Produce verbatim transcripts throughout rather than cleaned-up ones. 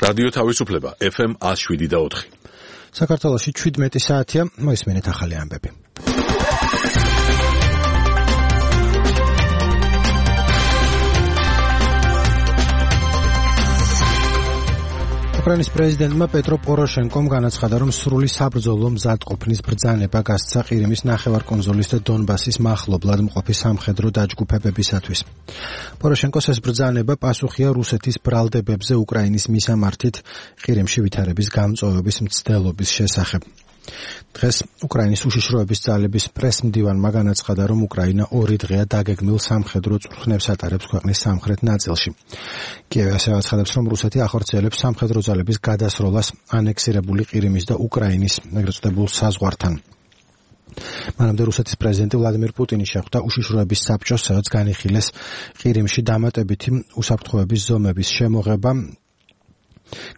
რადიო თავისუფლება ეფ ემ one oh seven და four. საქართველოში შვიდმეტი საათია, მოისმენთ ახალი ამბები. უკრაინის პრეზიდენტმა პეტრო პოროშენკომ განაცხადა, რომ სრული საბრძოლო მზადყოფნის ბრძანება გასცა ყირიმის ნახევარკუნძულის და დონბასის მახლობლად მყოფი სამხედრო დაჯგუფებებისათვის. პოროშენკოს ეს ბრძანება პასუხია რუსეთის ბრალდებებზე უკრაინის მისამართით ყირიმში ვითარების გამწვავების მცდელობის შესახებ. დღეს უკრაინის უშიშროების ძალების პრესმდივანმა განაცხადა, რომ უკრაინა ორი დღეა დაგეგმილ სამხედრო წვრთნებს ატარებს ქვეყნის სამხრეთ ნაწილში. კიევი ასევე აცხადებს, რომ რუსეთი ახორციელებს სამხედრო ძალების გადასროლას ანექსირებული ყირიმის და უკრაინის ეგრეთ წოდებულ საზღვართან. მანამდე რუსეთის პრეზიდენტი ვლადიმირ პუტინი შეხვდა უშიშროების საბჭოს, სადაც განიხილეს ყირიმში დამატებითი უსაფრთხოების ზომების შემოღება.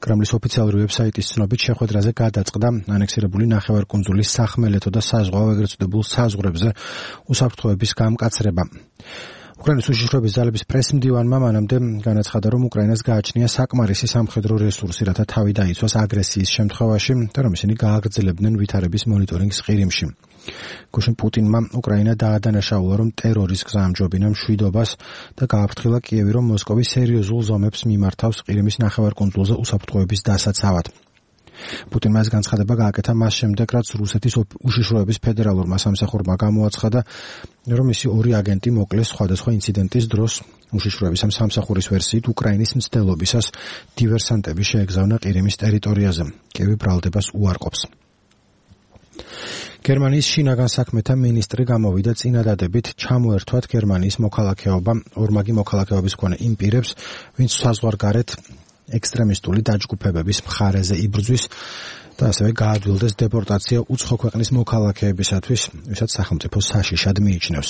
კრემლის ოფიციალური ვებსაიტის ცნობით შეხვედრაზე გადაწყდა ანექსირებული ნახევარკუნძულის სახმელეთო და საზღვაო ეგრეთ წოდებულ საზღვრებზე უსაფრთხოების გამკაცრება. უკრაინის უშიშროების ძალების პრესმდივანმა მანამდე განაცხადა, რომ უკრაინას გააჩნია საკმარისი სამხედრო რესურსი, რათა თავი დაიცვას აგრესიის შემთხვევაში და რომ ისინი გააგრძელებდნენ ვითარების მონიტორინგს ყირიმში. გუშინ პუტინმა უკრაინა დაადანაშაულა, რომ ტერორის გზა ამჯობინა მშვიდობას და გააფრთხილა კიევი, რომ მოსკოვი სერიოზულ ზომებს მიმართავს ყირიმის ნახევარკუნძულზე უსაფრთხოების დასაცავად. პუტინმა ეს განცხადება გააკეთა მას შემდეგ, რაც რუსეთის უშიშროების ფედერალურმა სამსახურმა გამოაცხადა, რომ მისი ორი აგენტი მოკლეს სხვადასხვა ინციდენტის დროს. უშიშროების ამ სამსახურის ვერსიით უკრაინის მცდელობისას დივერსანტები შეეგზავნა ყირიმის ტერიტორიაზე. კიევი ბრალდებას უარყოფს. გერმანიის შინაგან საქმეთა მინისტრი გამოვიდა წინადადებით ჩამოერთვათ გერმანიის მოქალაქეობა ორმაგი მოქალაქეობის მქონე იმ პირებს, ვინც საზღვარგარეთ ექსტრემისტული დაჯგუფებების მხარეზე იბრძვის და ასევე გაადვილდეს დეპორტაცია უცხო ქვეყნის მოქალაქეებისათვის, ვისაც სახელმწიფო საშიშად მიიჩნევს.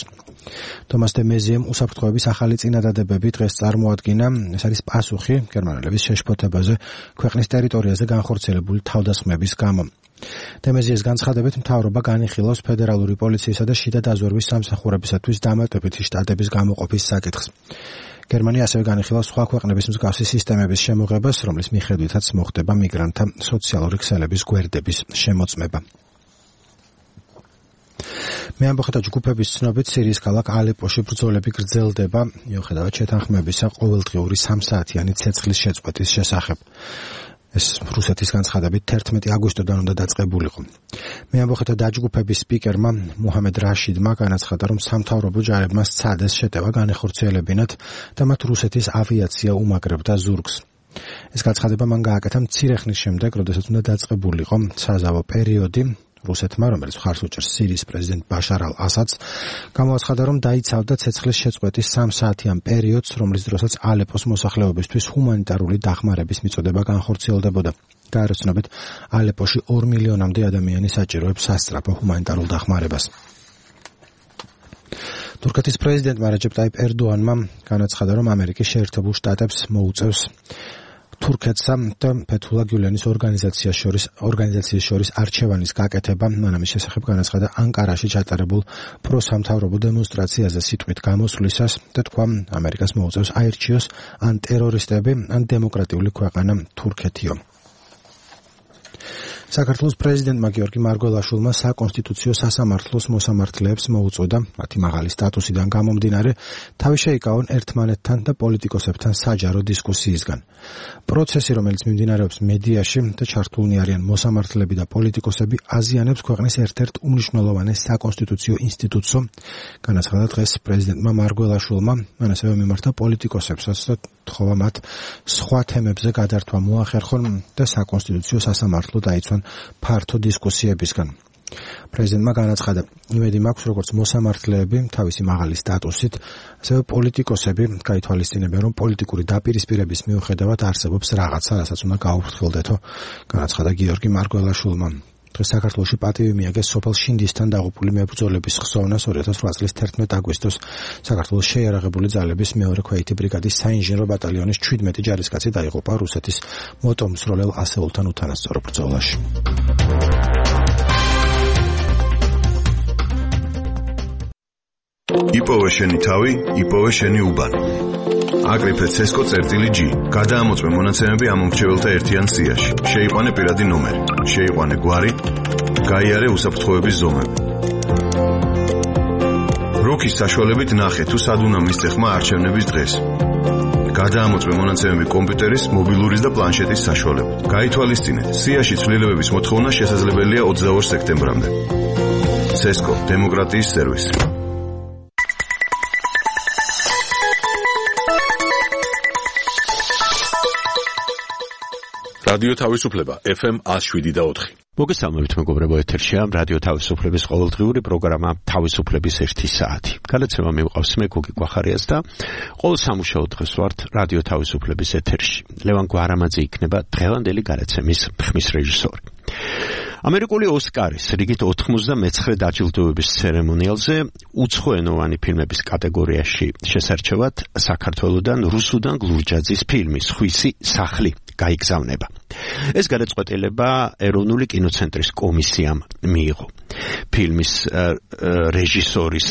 თომას დე მეზიემ უსაფრთხოების ახალი წინადადებები დღეს წარმოადგინა. ეს არის პასუხი გერმანელების შეშფოთებაზე ქვეყნის ტერიტორიაზე განხორციელებული თავდასხმების გამო. დემეზიეს განცხადებით, მთავრობა განიხილავს ფედერალური პოლიციისა და შიდა დაზვერვის სამსახურებისათვის დამატებითი შტატების გამოყოფის საკითხს. გერმანია ასევე განიხილავს სხვა ქვეყნების მსგავსი სისტემების შემოღებას, რომლის მიხედვითაც მოხდება მიგრანტთა სოციალური ქსელების გვერდების შემოწმება. მეამბოხეთა ჯგუფების ცნობით, სირიის ქალაქ ალეპოში ბრძოლები გრძელდება, მიუხედავად შეთანხმებისა ყოველდღიური სამსაათიანი ცეცხლის შეწყვეტის შესახებ. ეს რუსეთის განცხადებით თერთმეტი აგვისტოდან უნდა დაწყებულიყო. მეამბოხეთა დაჯგუფების სპიკერმა მუჰამედ რაშიდმა განაცხადა, რომ სამთავრობო ჯარებმა სცადეს შეტევა განეხორციელებინათ და მათ რუსეთის ავიაცია უმაგრებდა ზურგს. ეს განცხადება მან გააკეთა მცირე ხნის შემდეგ, როდესაც უნდა დაწყებულიყო საზავო პერიოდი. რუსეთმა, რომელიც მხარს უჭერს სირიის პრეზიდენტ ბაშარ ალ-ასადს, გამოაცხადა, რომ დაიცავდა ცეცხლის შეწყვეტის სამსაათიან პერიოდს, რომლის დროსაც ალეპოს მოსახლეობისთვის ჰუმანიტარული დახმარების მიწოდება განხორციელდებოდა. გაეროცნობით, ალეპოში ორ მილიონამდე ადამიანი საჭიროებს სასწრაფო ჰუმანიტარულ დახმარებას. თურქეთის პრეზიდენტმა რეჯეპ ტაიპ ერდოანმა განაცხადა, რომ ამერიკის შეერთებულ შტატებს მოუწევს თურქეთსა და ფეთულა გიულენის ორგანიზაციის შორის ორგანიზაციის შორის არჩევანის გაკეთება. მან ამის შესახებ განაცხადა ანკარაში ჩატარებულ პროსამთავრობო დემონსტრაციაზე სიტყვით გამოსვლისას და თქვა, ამერიკას მოუწევს აირჩიოს ან ტერორისტები, ან დემოკრატიული ქვეყანა თურქეთიო. საქართველოს პრეზიდენტმა გიორგი მარგველაშვილმა საკონსტიტუციო სასამართლოს მოსამართლეებს მოუწოდა, მათი მაღალი სტატუსიდან გამომდინარე, თავი შეიკავონ ერთმანეთთან და პოლიტიკოსებთან საჯარო დისკუსიისგან. პროცესი, რომელიც მიმდინარეობს მედიაში და ჩართულნი არიან მოსამართლეები და პოლიტიკოსები, აზიანებს ქვეყნის ერთ-ერთ უმნიშვნელოვანეს საკონსტიტუციო ინსტიტუტსო, განაცხადა დღეს პრეზიდენტმა მარგველაშვილმა, მან ასევე მიმართა პოლიტიკოსებსაც და თხოვა მათ სხვა თემებზე გადართვა მოახერხონ და საკონსტიტუციო სასამართლო დაიცვან ფართო დისკუსიებისგან. პრეზიდენტმა განაცხადა, იმედი მაქვს, როგორც მოსამართლეები თავისი მაღალი სტატუსით, ასევე პოლიტიკოსები გაითვალისწინებენ, რომ პოლიტიკური დაპირისპირების მიუხედავად არსებობს რაღაცა, რასაც უნდა გაუფრთხილდეთო, განაცხადა გიორგი მარგველაშვილმა. დღეს საქართველოში პატივი მიაგეს სოფელ შინდისთან დაღუპული მებრძოლების ხსოვნას ორი ათას ოთხ წლის თერთმეტ აგვისტოს საქართველოს შეიარაღებული ძალების მეორე ქვეითი ბრიგადის საინჟინრო ბატალიონის შვიდმეტი ჯარისკაცი დაიღუპა რუსეთის მოტომსროლელ ასეულთან უთანასწორო ბრძოლაში. იპოვე შენი თავი, იპოვე შენი უბანი. აკრიფე ცესკო წერტილი G. გადაამოწმე მონაცემები ამომრჩეველთა ერთიან სიაში. შეიყვანე პირადი ნომერი, შეიყვანე გვარი, გაიარე უსაფრთხოების ზომები. როქის საშუალებით ნახე თუ სად უნდა მისცე ხმა არჩევნების დღეს. გადაამოწმე მონაცემები კომპიუტერის, მობილურის და პლანშეტის საშუალებით. გაითვალისწინეთ, სიაში ცვლილებების მოთხოვნა შესაძლებელია ოცდაორ სექტემბრამდე. ცესკო, დემოკრატიის სერვისი. რადიო თავისუფლება F M one oh seven და four. მოგესალმებით მეგობრებო, ეთერშია რადიო თავისუფლების ყოველდღიური პროგრამა თავისუფლების ერთი საათი. გადაცემა მივყავს მე გოგი გვახარიას და ყოველ სამუშაო დღეს ვართ რადიო თავისუფლების ეთერში. ლევან გვარამაძე იქნება დღევანდელი გადაცემის ხმის რეჟისორი. ამერიკული ოსკარის რიგით ოთხმოცდამეცხრე დაჯილდოების ცერემონიალზე უცხოენოვანი ფილმების კატეგორიაში შესარჩევად საქართველოდან რუსუდან გლურჯაძის ფილმი სხვისი სახლი გაიგზავნება. ეს გადაწყვეტილება ეროვნული კინოცენტრის კომისიამ მიიღო. ფილმის რეჟისორის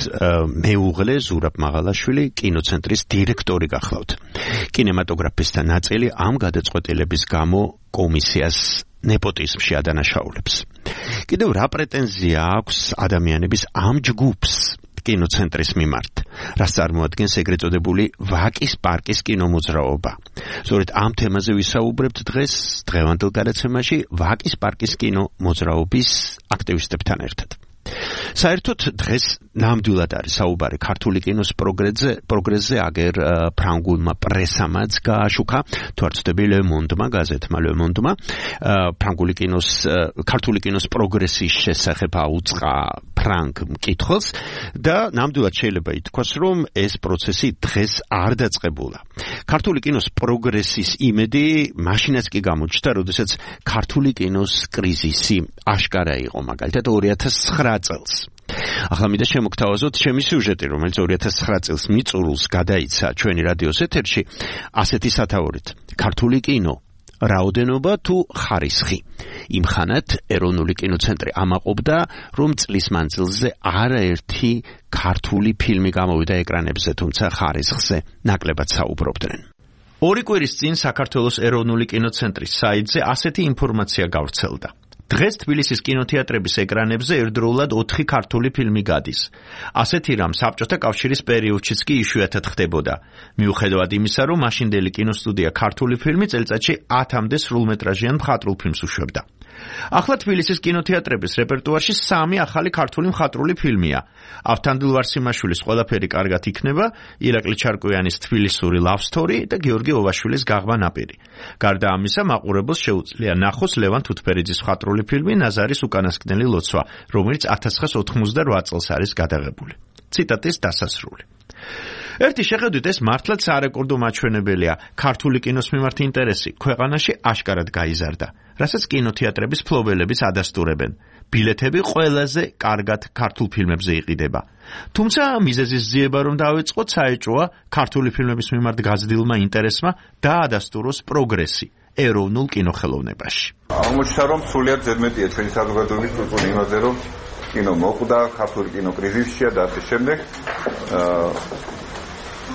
მეუღლე ზურაბ მაღალაშვილი კინოცენტრის დირექტორი გახლავთ. კინემატოგრაფისტთა ნაწილი ამ გადაწყვეტილების გამო კომისიას ნეპოტიზმში ადანაშაულებს. კიდევ რა პრეტენზია აქვს ადამიანების ამ ჯგუფს კინოცენტრის მიმართ, რაც წარმოადგენს ეგრეთ წოდებული ვაკის პარკის კინომოძრაობა. სწორედ ამ თემაზე ვისაუბრებთ დღეს დღევანდელ გადაცემაში ვაკის პარკის კინომოძრაობის აქტივისტებთან ერთად. საერთოდ დღეს ნამდვილად არის საუბარი ქართული კინოს პროგრესზე, პროგრესზე აგერ ფრანგულმა პრესამაც გააშუქა, თუ არ ვცდები Le Monde-მა, გაზეთმა Le Monde-მა, ფრანგული კინოს, ქართული კინოს პროგრესის შესახებ აუწყა ფრანგ მკითხველს და ნამდვილად შეიძლება ითქვას, რომ ეს პროცესი დღეს არ დაწყებულა. ქართული კინოს პროგრესის იმედი მაშინაც კი გამოჩნდა, როდესაც ქართული კინოს კრიზისი აშკარა იყო, მაგალითად ორი ათას ცხრა წელს. ახლა მინდა შემოგთავაზოთ ჩემი სიუჟეტი, რომელიც ორი ათას ცხრა წელს მიწურულს გადაიცა ჩვენი რადიოს ეთერში, ასეთი სათაურით. ქართული კინო, რაოდენობა თუ ხარისხი. იმხანად ეროვნული კინოცენტრი ამაყობდა, რომ წლის მანძილზე არაერთი ქართული ფილმი გამოვიდა ეკრანებზე, თუმცა ხარისხზე ნაკლებად საუბრობდნენ. ორი კვირის წინ საქართველოს ეროვნული კინოცენტრის საიტზე ასეთი ინფორმაცია გავრცელდა. დღეს თბილისის კინოთეატრების ეკრანებზე ერთდროულად ოთხი ქართული ფილმი გადის. ასეთი რამ საბჭოთა კავშირის პერიოდშიც კი იშვიათად ხდებოდა. მიუხედავად იმისა, რომ მაშინდელი კინოსტუდია ქართული ფილმი წელიწადში ათამდე სრულმეტრაჟიან მხატვრულ ფილმს უშვებდა. ახლა თბილისის კინოთეატრების რეპერტუარში სამი ახალი ქართული მხატვრული ფილმია. ავთანდილ ვარსიმაშვილის ყველაფერი კარგად იქნება, ირაკლი ჩარკვიანის თბილისური love story და გიორგი ოვაშვილის გაღმა ნაპირი. გარდა ამისა, მაყურებელს შეუძლია ნახოს ლევან თუთფერიძის მხატვრული ფილმი ნაზარის უკანასკნელი ლოცვა, რომელიც ათას ცხრაას ოთხმოცდარვა წელს არის გადაღებული. ციტატის დასასრული. ერთი შეხედვით ეს მართლაც სარეკორდო მაჩვენებელია. ქართული კინოს მიმართ ინტერესი ქვეყანაში აშკარად გაიზარდა, რასაც კინოთეატრების ფლობელებიც ადასტურებენ. ბილეთები ყველაზე კარგად ქართულ ფილმებზე იყიდება. თუმცა მიზეზის ძიება რომ დაიწყოთ, საეჭვოა ქართული ფილმების მიმართ გაზრდილმა ინტერესმა დაადასტუროს პროგრესი ეროვნულ კინოხელოვნებაში. აღმოჩნდა, რომ სრულიად ზედმეტია ჩვენი საზოგადოების წუწუნი იმაზე, რომ კინო მოხვდა, ქართული კინო კრიზისშია და ასე შემდეგ.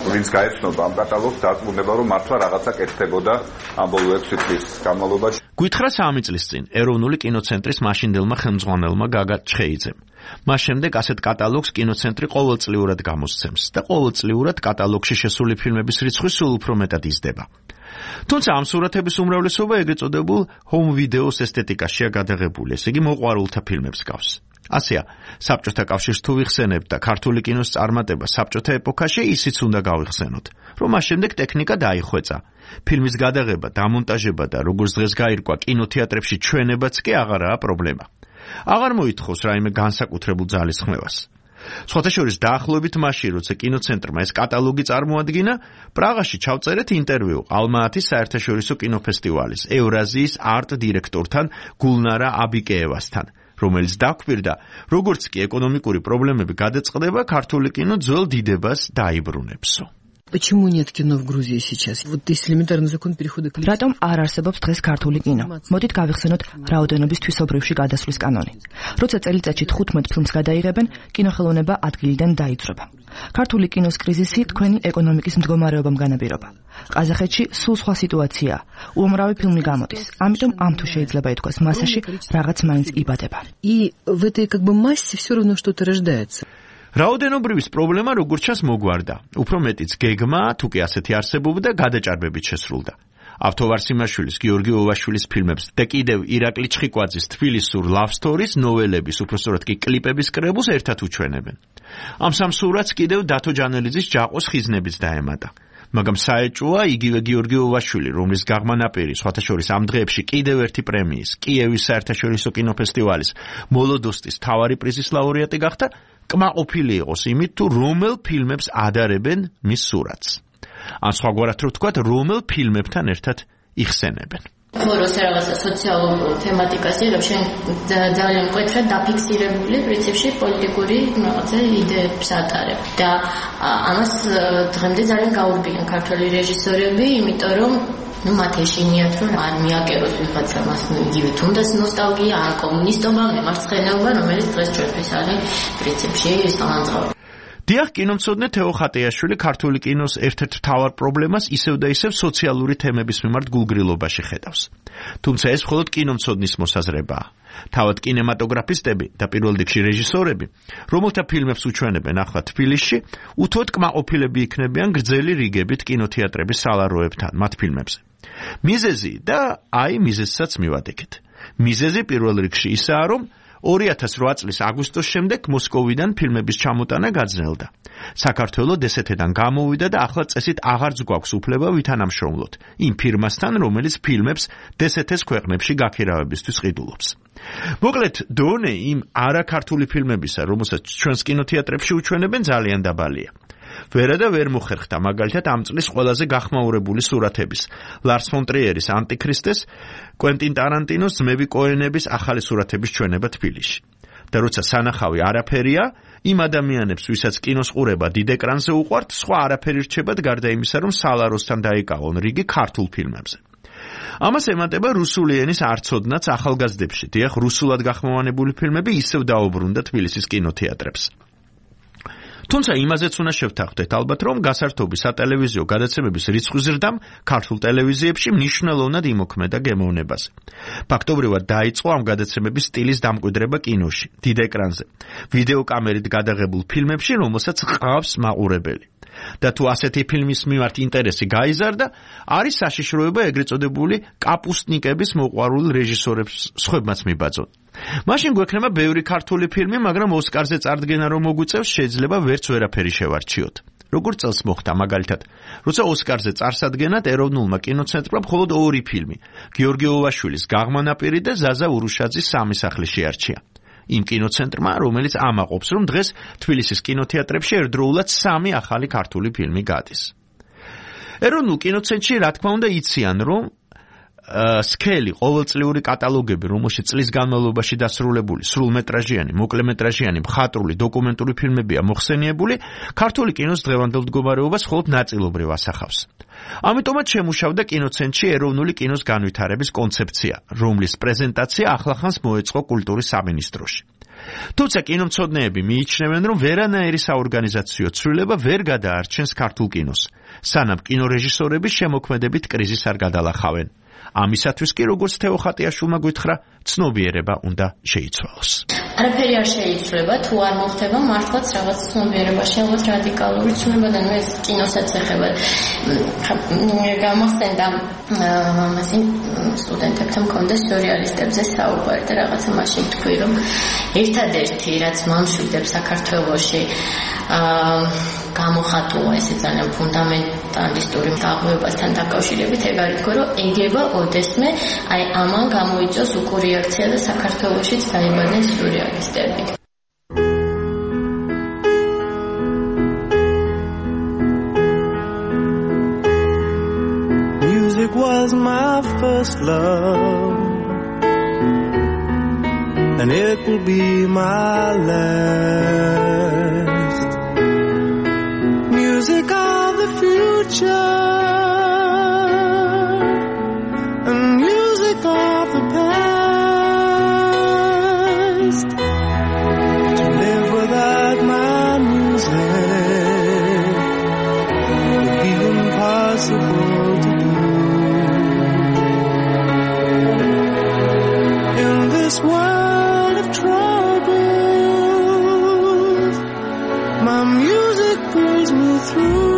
ვინც გაეცნობა ამ კატალოგს, დარწმუნება, რომ მართლა რაღაცა კეთდებოდა ამ ბოლო ექვსი წლის განმავლობაში. გვითხრა სამი წლის წინ ეროვნული კინოცენტრის მაშინდელმა ხელმძღვანელმა გაგა ჩხეიძემ. მას შემდეგ ასეთ კატალოგს კინოცენტრი ყოველწლიურად გამოსცემს და ყოველწლიურად კატალოგში შესული ფილმების რიცხვი სულ უფრო მეტად იზრდება. თუმცა ამ სურათების უმრავლესობა ეგრეთ წოდებულ home videos ესთეტიკაშია გადაღებული, ესე იგი მოყვარულთა ფილმებს გავს. ასეა, საბჭოთა კავშირს თუ ვიხსენებთ და ქართული კინოს წარმატება საბჭოთა ეპოქაში, ისიც უნდა გავიხსენოთ, რომ მას შემდეგ ტექნიკა დაიხვეწა. ფილმის გადაღება, დამონტაჟება და როგორც დღეს გაირკვა, კინოთეატრებში ჩვენებაც კი აღარაა პრობლემა. აღარ მოითხოვს რაიმე განსაკუთრებულ ძალისხმევას. სხვათა შორის დაახლოებით მაშინ, როცა კინოცენტრმა ეს კატალოგი წარმოადგინა, პრაღაში ჩავწერეთ ინტერვიუ ალმა-ათის საერთაშორისო კინოფესტივალის ევრაზიის არტ დირექტორთან გულნარა აბიკეევასთან, რომელიც დაგვირდა, როგორც კი ეკონომიკური პრობლემები გადაწყდება, ქართული კინო ძველ დიდებას დაიბრუნებსო. Почему нет кино в Грузии сейчас? Вот если элементарный закон перехода к Რატომ არ არსებობს დღეს ქართული კინო? მოდით გავიხსენოთ რაოდენობის თვისობრივში გადასვლის კანონი. როცა წელიწადში თხუთმეტ ფილმს გადაიღებენ, კინოხელოვნება ადგილიდან დაიწრება. ქართული კინოს კრიზისი თქვენი ეკონომიკის მდგომარეობამ განაპირობა. ყაზახეთში სულ სხვა სიტუაციაა. უამრავი ფილმი გამოდის. ამიტომ ამ თუ შეიძლება ითქვას მასაში რაღაც მაინც იბადება. И в этой как бы массе все равно что-то рождается. რაოდენობრივის პრობლემა როგორც ჩანს მოგვარდა. უფრო მეტიც გეგმა, თუ კი ასეთი არსებობდა, გადაჭარბებით შესრულდა. ავთოვარ სიმაშვილის, გიორგი ოვაშვილის ფილმებს და კიდევ ირაკლი ჩხიკვაძის თბილისურ love stories, ნოველების, უпростоრად კი კლიპების კრებულს ერთად უჩვენებენ. ამ სამ სურათს კიდევ დათო ჯანელიძის ჯაყოს ხიზნებიც დაემატა. მაგრამ საეჭვოა იგივე გიორგი ოვაშვილი, რომლის გაღმა ნაპირი სხვათა შორის ამ დღეებში კიდევ ერთი პრემიის, კიევის საერთაშორისო კინოფესტივალის მოლოდოსტის მთავარი პრიზის ლაურეატი გახდა, კმაყოფილი იყოს იმით, თუ რომელ ფილმებს ადარებენ მის სურათს. ან სხვაგვარად რო ვთქვათ, რომელ ფილმებთან ერთად იხსენებენ. ხოროს რაღაცა სოციალურ თემატიკაზე, რომ შენ ძალიან მკვეთრად დაფიქსირებული პრინციპში პოლიტიკური რაღაცა იდეებს ატარებ. და ამას დღემდე ძალიან გაურბიან ქართველი რეჟისორები, იმიტომ რომ ну მათ ეშინიათ რომ არ მიაკეროს ვიღაცა მას იგივე თუნდაც ნოსტალგია, ან კომუნისტობა, მემარცხენეობა, რომელიც დღეს ჩვენთვის არის პრინციპში სამანძღავი. დიახ, კინომცოდნე თეო ხატეაშვილი ქართული კინოს ერთ-ერთ მთავარ პრობლემას ისევ და ისევ სოციალური თემების მიმართ გულგრილობაში ხედავს. თუმცა ეს მხოლოდ კინომცოდნის მოსაზრებაა. თავად კინემატოგრაფისტები და პირველ რიგში რეჟისორები, რომელთა ფილმებს უჩვენებენ ახლა თბილისში, უთუოდ კმაყოფილები იქნებიან გრძელი რიგებით კინოთეატრების სალაროებთან მათ ფილმებზე. მიზეზი და აი მიზეზსაც მივადგეთ. მიზეზი პირველ რიგში ისაა, რომ ორი ათას რვა წლის აგვისტოს შემდეგ მოსკოვიდან ფილმების ჩამოტანა გაძნელდა. საქართველოს დსთ-დან გამოვიდა და ახლა წესით აღარც გვაქვს უფლება ვითანამშრომლოთ იმ ფირმასთან, რომელიც ფილმებს დსთ-ს ქვეყნებში გაქირავებისთვის ყიდულობს. მოკლედ, დონე იმ არაქართული ფილმებისა, რომელსაც ჩვენს კინოთეატრებში უჩვენებენ, ძალიან დაბალია. ვერა და ვერ მოხერხდა მაგალითად ამ წლის ყველაზე გახმაურებული სურათების, ლარს ფონ ტრიერის ანტიქრისტეს, კვენტინ ტარანტინოს ძმები კოენების ახალი სურათების ჩვენება თბილისში. და როცა სანახავი არაფერია, იმ ადამიანებს, ვისაც კინოს ყურება დიდ ეკრანზე უყვართ, სხვა არაფერი რჩებათ გარდა იმისა, რომ სალაროსთან დაიკავონ რიგი ქართულ ფილმებზე. ამას ემატება რუსული ენის არცოდნაც ახალგაზრდებში. დიახ, რუსულად გახმოვანებული ფილმები ისევ დაუბრუნდა თბილისის კინოთეატრებს. თუმცა იმაზეც უნდა შევთანხმდეთ ალბათ, რომ გასართობი სატელევიზიო გადაცემების რიცხვის ზრდამ ქართულ ტელევიზიებში მნიშვნელოვნად იმოქმედა გემოვნებაზე. ფაქტობრივად დაიწყო ამ გადაცემების სტილის დამკვიდრება კინოში, დიდ ეკრანზე, ვიდეო კამერით გადაღებულ ფილმებში, რომელსაც ყავს მაყურებელი. და თუ ასეთი ფილმის მიმართ ინტერესი გაიზარდა, არის საშიშროება ეგრეთ წოდებული კაპუსტნიკების მოყვარულ რეჟისორებს სხვებმაც მიბაძონ. მაშინ გვექნება ბევრი ქართული ფილმი, მაგრამ ოსკარზე წარდგენა რომ მოგვიწევს, შეიძლება ვერც ვერაფერი შევარჩიოთ. როგორც წელს მოხდა მაგალითად, როცა ოსკარზე წარსადგენად ეროვნულმა კინოცენტრმა მხოლოდ ორი ფილმი, გიორგი ოვაშვილის გაღმა ნაპირი და ზაზა ურუშაძის სამი სახლი შეარჩია. იმ კინოცენტრმა, რომელიც ამაყობს, რომ დღეს თბილისის კინოთეატრებში ერთდროულად სამი ახალი ქართული ფილმი გადის. ეროვნულ კინოცენტრში, რა თქმა უნდა, იციან, რომ სქელი ყოველწლიური კატალოგები, რომელშიც წლის განმავლობაში დასრულებული სრულმეტრაჟიანი, მოკლემეტრაჟიანი, მხატვრული, დოკუმენტური ფილმებია მოხსენიებული, ქართული კინოს დღევანდელ მდგომარეობას მხოლოდ ნაწილობრივ ასახავს. ამიტომაც შემუშავდა კინოცენტრში ეროვნული კინოს განვითარების კონცეფცია, რომლის პრეზენტაცია ახლახანს მოეწყო კულტურის სამინისტროში. თუმცა კინომცოდნეები მიიჩნევენ, რომ ვერანაირი საორგანიზაციო ცვლილება ვერ გადაარჩენს ქართულ კინოს, სანამ კინორეჟისორების შემოქმედებით კრიზისს არ გადალახავენ. ამისათვის კი, როგორც თეო ხატეაშვილმა გითხრა, ცნობიერება უნდა შეიცვალოს. არაფერი არ შეიცვლება, თუ არ მოხდება მართლაც რაღაც ცნობიერებაში, რაღაც რადიკალური ცვლილება და ეს კინოსაც ეხება. გამახსენდა ამასინ სტუდენტებთან მქონდა სურეალისტებზე საუბარი და რაღაცა მაშინ თქვი, რომ ერთადერთი, რაც მომშვიდებს საქართველოში გამოხატულა ესე ძალიან ფუნდამენტალისტური დაღუებასთან დაკავშირებით, ეგ არის თქო, რომ ეგება ოდესმე აი ამან გამოიწვევს უკურიაქცია და საქართველოშიც დაიბადნენ სურეალისტები. Music was my first love, and it will be my last. Music of the future, and music of the past. To live without my music My music pulls me through.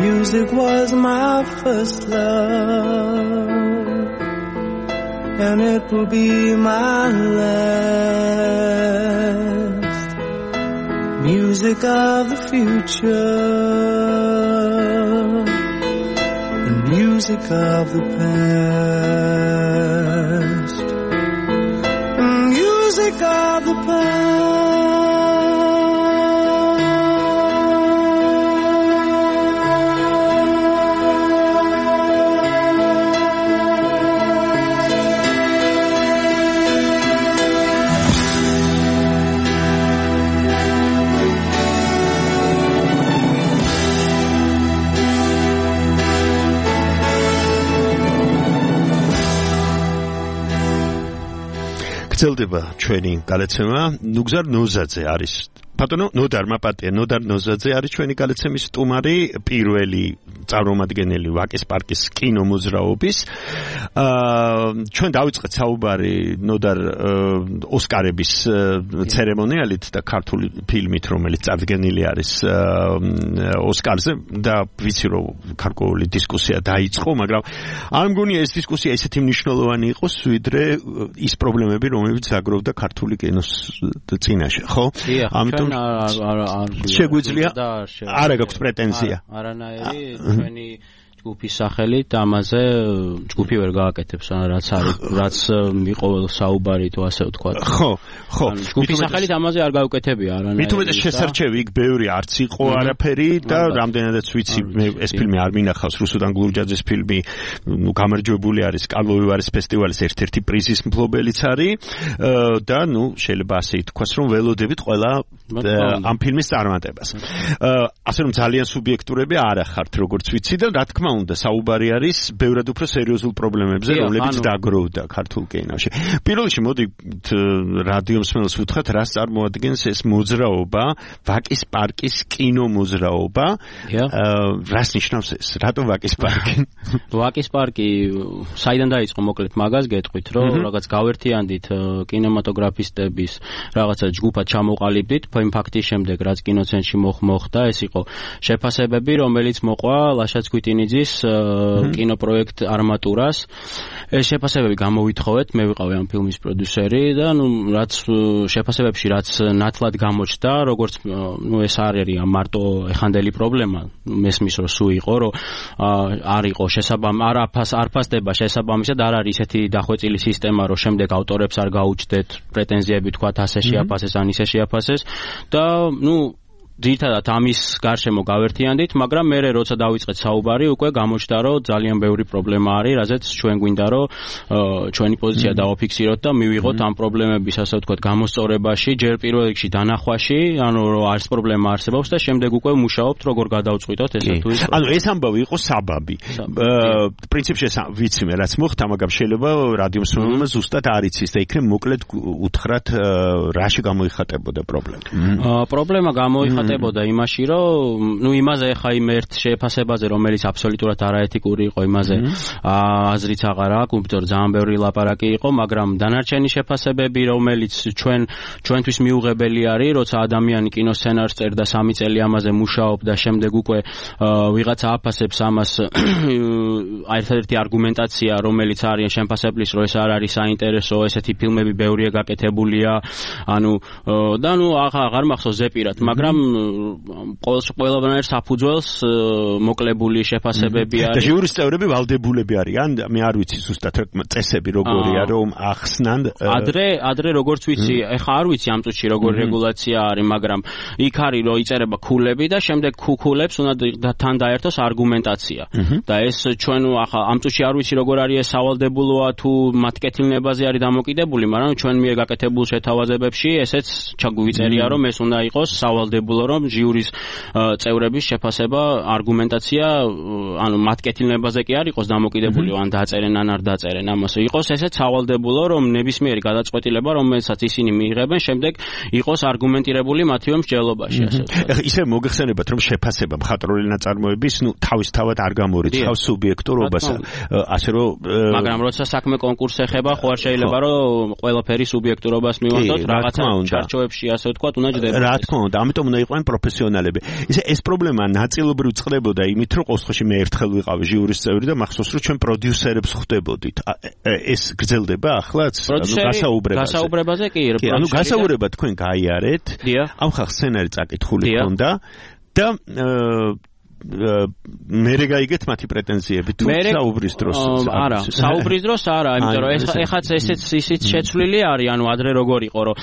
Music was my first love, and it will be my last. Music of the future, and music of the past, and music of the past. გრძელდება ჩვენი გალაცემა. ნუგზარ ნოზაძე არის ბატონო ნოდარ მაპატია ნოდარ ნოზაძე არის ჩვენი გალაცემის სტუმარი, პირველი წარმომადგენელი ვაკის პარკის კინომოძრაობის. აა ჩვენ დავიწყეთ საუბარი ნოდარ ოსკარების ცერემონიალით და ქართული ფილმით, რომელიც წარდგენილი არის ოსკარზე და ვიცი რომ გარკვეული დისკუსია დაიწყო, მაგრამ არ მგონია ეს დისკუსია ისეთი მნიშვნელოვანი იყოს, ვიდრე ის პრობლემები, რომელიც ზაგროვდა ქართული კინოს წინაშე, ხო? ამიტომ შეგვიძლია არა გაქვს პრეტენზია. არანაირი ჩვენი ჯგუფის სახელით ამაზე ჯგუფი ვერ გააკეთებს, რაც არის, რაც იყო საუბარი თუ ასე ვთქვა. ხო, ხო. ჯგუფის სახელით ამაზე არ გაუკეთებია არანაირი. მით უმეტეს შესარჩევი იქ ბევრი არც იყო არაფერი და რამდენადაც ვიცი მე ეს ფილმი არ მინახავს, რუსუდან გლურჯაძის ფილმი, ნუ გამარჯვებული არის კალვოვივარის ფესტივალის ერთ-ერთი პრიზის მფლობელიც არის და ნუ შეიძლება ასე ითქვას, რომ ველოდებით ყველა ამ ფილმის წარმატებას. ასე რომ ძალიან სუბიექტურები არ ახართ, როგორც ვიცი და რა თქმა უნდა საუბარი არის ბევრად უფრო სერიოზულ პრობლემებზე, რომლებიც დაგროვდა ქართულ კინოში. პირველ რიგში მოდი რადიო მსმენელს ვუთხრათ, რას წარმოადგენს ეს მოძრაობა, ვაკის პარკის კინომოძრაობა. რას ნიშნავს ეს? რატო ვაკის პარკი? ვაკის პარკი საიდან დაიწყო მოკლედ მაგას გეტყვით, რომ რაღაც გავერთიანდით კინემატოგრაფისტების რაღაცა ჯგუფად ჩამოყალიბდით, იმ ფაქტის შემდეგ რაც კინოცენტრში მოხდა, ეს იყო შეფასებები, რომელიც მოყვა ლაშა ცქვიტინიძის კინოპროექტ არმატურას. ეს შეფასებები გამოვითხოვეთ, მე ვიყავი ამ ფილმის პროდიუსერი და ნუ რაც შეფასებებში რაც ნათლად გამოჩნდა, როგორც ნუ ეს არ არის მარტო ეხანდელი პრობლემა, მესმის რომ სულ იყო, რომ არ იყო შესაბამ არ არფასდება შესაბამისად არ არის ესეთი დახვეწილი სისტემა, რომ შემდეგ ავტორებს არ გაუჩნდეთ პრეტენზიები, თქვათ ასე შეაფასეს, ან ისე შეაფასეს და ნუ ძირითადად ამის გარშემო გავერთიანდით, მაგრამ მე როცა დავიწყეთ საუბარი, უკვე გამოჩნდა, რომ ძალიან ბევრი პრობლემა არის, რაზეც ჩვენ გვინდა, რომ ჩვენი პოზიცია დავაფიქსიროთ და მივიღოთ ამ პრობლემების, ასე ვთქვათ, გამოსწორებაში, ჯერ პირველ რიგში დანახვაში, ანუ რომ არის პრობლემა არსებობს და შემდეგ უკვე მუშაობთ, როგორ გადავწყვიტოთ ესე თუ ის. ანუ ეს ამბავი იყო საბაბი. პრინციპში ვიცი მე რაც მოხდა, მაგრამ შეიძლება რადიო მსმენელმა ზუსტად არ იცის და იქნებ მოკლედ უთხრათ, რაში გამოიხატებოდა პრობლემა. პრობლემა გამოიხატა მიღწებოდა იმაში, რომ ნუ იმაზე ხა იმ ერთ შეფასებაზე, რომელიც აბსოლუტურად არაეთიკური იყო, იმაზე აზრიც აღარ აქვს, უბრალოდ ძალიან ბევრი ლაპარაკი იყო, მაგრამ დანარჩენი შეფასებები, რომელიც ჩვენ ჩვენთვის მიუღებელი არის, როცა ადამიანი კინოსცენარს წერდა სამი წელი ამაზე მუშაობდა, შემდეგ უკვე ვიღაცა აფასებს ამას ერთადერთი არგუმენტაცია, რომელიც არის შეფასებლის, რომ ეს არ არის საინტერესო, ესეთი ფილმები ბევრია გაკეთებულია, ანუ და ნუ აღარ მახსოვს ზეპირად, მაგრამ ყველანაირ საფუძველს მოკლებული შეფასებები არის. და ჟიურის წევრები ვალდებულები არიან, მე არ ვიცი ზუსტად წესები როგორია, რომ ახსნან ადრე ადრე როგორც ვიცი, ეხა არ ვიცი ამ წუთში როგორი რეგულაცია არის, მაგრამ იქ არის რომ იწერება ქულები და შემდეგ ქულებს უნდა თან დაერთოს არგუმენტაცია. და ეს ჩვენ ახლა ამ წუთში არ ვიცი როგორ არის ეს სავალდებულოა თუ მათ კეთილნებაზე არის დამოკიდებული, მაგრამ ჩვენ მიერ გაკეთებულ შეთავაზებებში ესეც ჩაგვიწერია, რომ ეს უნდა იყოს სავალდებულო, რომ ჟიურის წევრების შეფასება, არგუმენტაცია, ანუ მათ კეთილნებაზე კი არ იყოს დამოკიდებული, ან დაწერენ ან არ დაწერენ, ამას იყოს ესეც სავალდებულო, რომ ნებისმიერი გადაწყვეტილება, რომელსაც ისინი მიიღებენ, შემდეგ იყოს არგუმენტირებული მათივე მსჯელობაში, ასე ვთქვათ. ეხლა ისე მოგეხსენებათ, რომ შეფასება მხატვრული ნაწარმოების, ნუ თავისთავად არ გამორიცხავს სუბიექტურობას, ასე რომ მაგრამ როცა საქმე კონკურსს ეხება, ხო არ შეიძლება რომ ყველაფერი სუბიექტურობას მივანდოთ, რაღაცა ჩარჩოებში, ასე ვთქვათ, უნდა ჯდება. რა თქმა უნდა, ამიტომ უნდა იყვნენ პროფესიონალები. ისე ეს პრობლემა ნაწილობრივ წყდებოდა იმით, რომ ყოველში მე ერთხელ ვიყავი ჟიურის წევრი და მახსოვს, რომ ჩვენ პროდიუსერებს ხვდებოდით. ეს გრძელდება ახლაც, ანუ გასაუბრებაზე. გასაუბრებაზე კი, კი, ანუ გასაუბრება თქვენ გაიარეთ. ამ ხალხს სცენარი წაკითხული ჰქონდა და მერე გაიგეთ მათი პრეტენზიები თუ საუბრის დროს არა საუბრის დროს არა იმიტომ რომ ეხაც ესეც ისიც შეცვლილი არის ანუ ადრე როგორ იყო რომ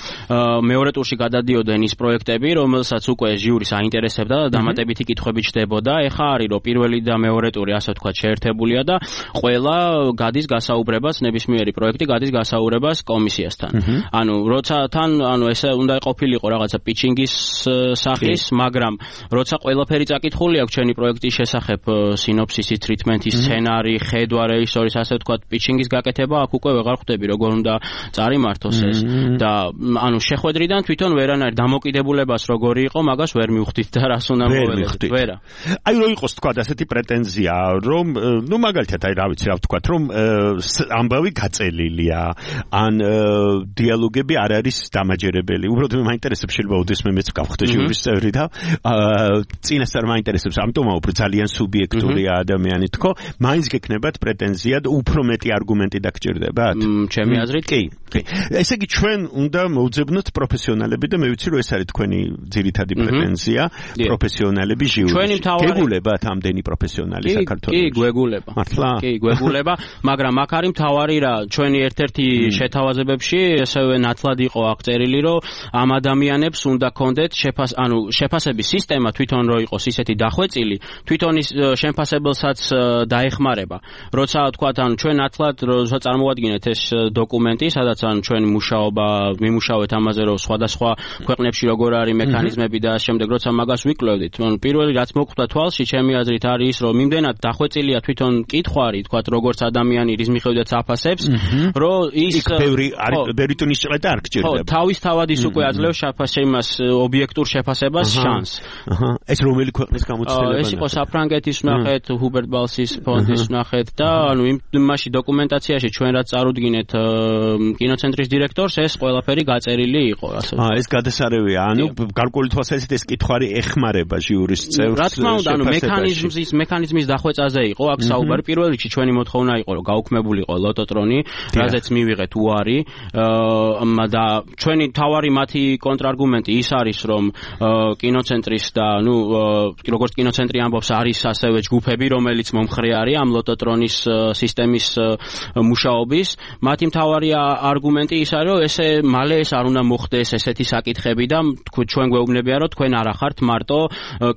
მეორე ტურში გადადიოდნენ ის პროექტები რომელსაც უკვე ჟიურის აინტერესებდა და დამატებითი კითხვები ჩდებოდა ეხა არის რომ პირველი და მეორე ტური ასე ვთქვათ შეერთებულია და ყველა გადის გასაუბრებას ნებისმიერი პროექტი გადის გასაუბრებას კომისიასთან ანუ როცა თან ანუ ესე უნდა ყოფილიყო რაღაცა პიჩინგის სახის მაგრამ როცა ყველაფერი წაკითხული აქვს პროექტის შესახებ სინოფსისი, ტრიტმენტი, სცენარი, ხედვა, რეჟისორის, ასე ვთქვათ, პიჩინგის გაკეთება აქ უკვე ვეღარ ხვდები, როგორ უნდა წარიმართოს ეს. და ანუ შეხვედრიდან თვითონ ვერანაირ დამოკიდებულებას როგორი იყო, მაგას ვერ მივხვდით და რას უნდა მოველოდეთ. ვერა. აი რო იყოს თქვა ასეთი პრეტენზია, რომ ნუ მაგალითად აი რა ვიცი რა ვთქვათ, რომ ამბავი გაწელილია, ან დიალოგები არ არის დამაჯერებელი. უბრალოდ მე მაინტერესებს შეიძლება ოდესმე მეც გავხდე ჟიურის წევრი და წინასწარ მაინტერესებს ამ უფრო ძალიან სუბიექტურია ადამიანი თქო, მაინც გექნებათ პრეტენზია და უფრო მეტი არგუმენტი დაგჭირდებათ? ჩემი აზრით კი. კი. ესე იგი ჩვენ უნდა მოვძებნოთ პროფესიონალები და მე ვიცი რომ ეს არის თქვენი ძირითადი პრეტენზია, პროფესიონალები ჟიურში. გეგულებათ ამდენი პროფესიონალი საქართველოში? კი, გვეგულება. მართლა? კი, გვეგულება, მაგრამ აქ არის მთავარი რა, ჩვენი ერთ-ერთი შეთავაზებებში ესევე ნათლად იყო აღწერილი, რომ ამ ადამიანებს უნდა კონდეთ შეფას, ანუ შეფასების სისტემა თვითონ რო იყოს ისეთი დახვეწილი თვითონ ის შემფასებელსაც დაეხმარება. როცა თქვათ, ანუ ჩვენ ათლად როცა წარმოვადგინეთ ეს დოკუმენტი, სადაც ანუ ჩვენი მუშაობა, მიმუშავეთ ამაზე, რომ სხვადასხვა ქვეყნებში როგორ არის მექანიზმები და შემდეგ როცა მაგას ვიკვლევდით, ანუ პირველი რაც მოხვდა თვალში, ჩემი აზრით არის ის, რომ იმდენად დახვეწილია თვითონ კითხვარი, თქვათ, როგორც ადამიანი რის მიხედვითაც აფასებს, რომ ის ბევრი არის ბევრი ტონის ჭრედა არ გჭირდება. ხო, თავისთავად ის უკვე აძლევს შეფასებას ობიექტურ შეფასებას შანსს. აჰა, ეს რომელი ქვეყნის გამოცდილება? ეს იყო საფრანგეთის ნახეთ, ჰუბერტ ბალსის ფონდის ნახეთ და ანუ იმაში დოკუმენტაციაში ჩვენ რაც წარუდგინეთ კინოცენტრის დირექტორს, ეს ყველაფერი გაწერილი იყო, ასე ვთქვათ. აა, ეს გადასარევია, ანუ გარკვეული თვალსაზრისით ეს კითხვარი ეხმარება ჟიურის წევრს. რა თქმა უნდა, ანუ მექანიზმის მექანიზმის დახვეწაზე იყო აქ საუბარი. პირველ რიგში ჩვენი მოთხოვნა იყო, რომ გაუქმებულიყო ლოტოტრონი, რაზეც მივიღეთ უარი და ჩვენი თავარი მათი კონტრარგუმენტი ის არის, რომ კინოცენტრის და ნუ როგორც კინოცენტრი ამბობს არის ასევე ჯგუფები, რომელიც მომხრე არის ამ ლოტოტრონის სისტემის მუშაობის. მათი მთავარი არგუმენტი ის არის, რომ ესე მალე ეს არ უნდა მოხდეს ესეთი საკითხები და ჩვენ გვეუბნებია, რომ თქვენ არ ახართ მარტო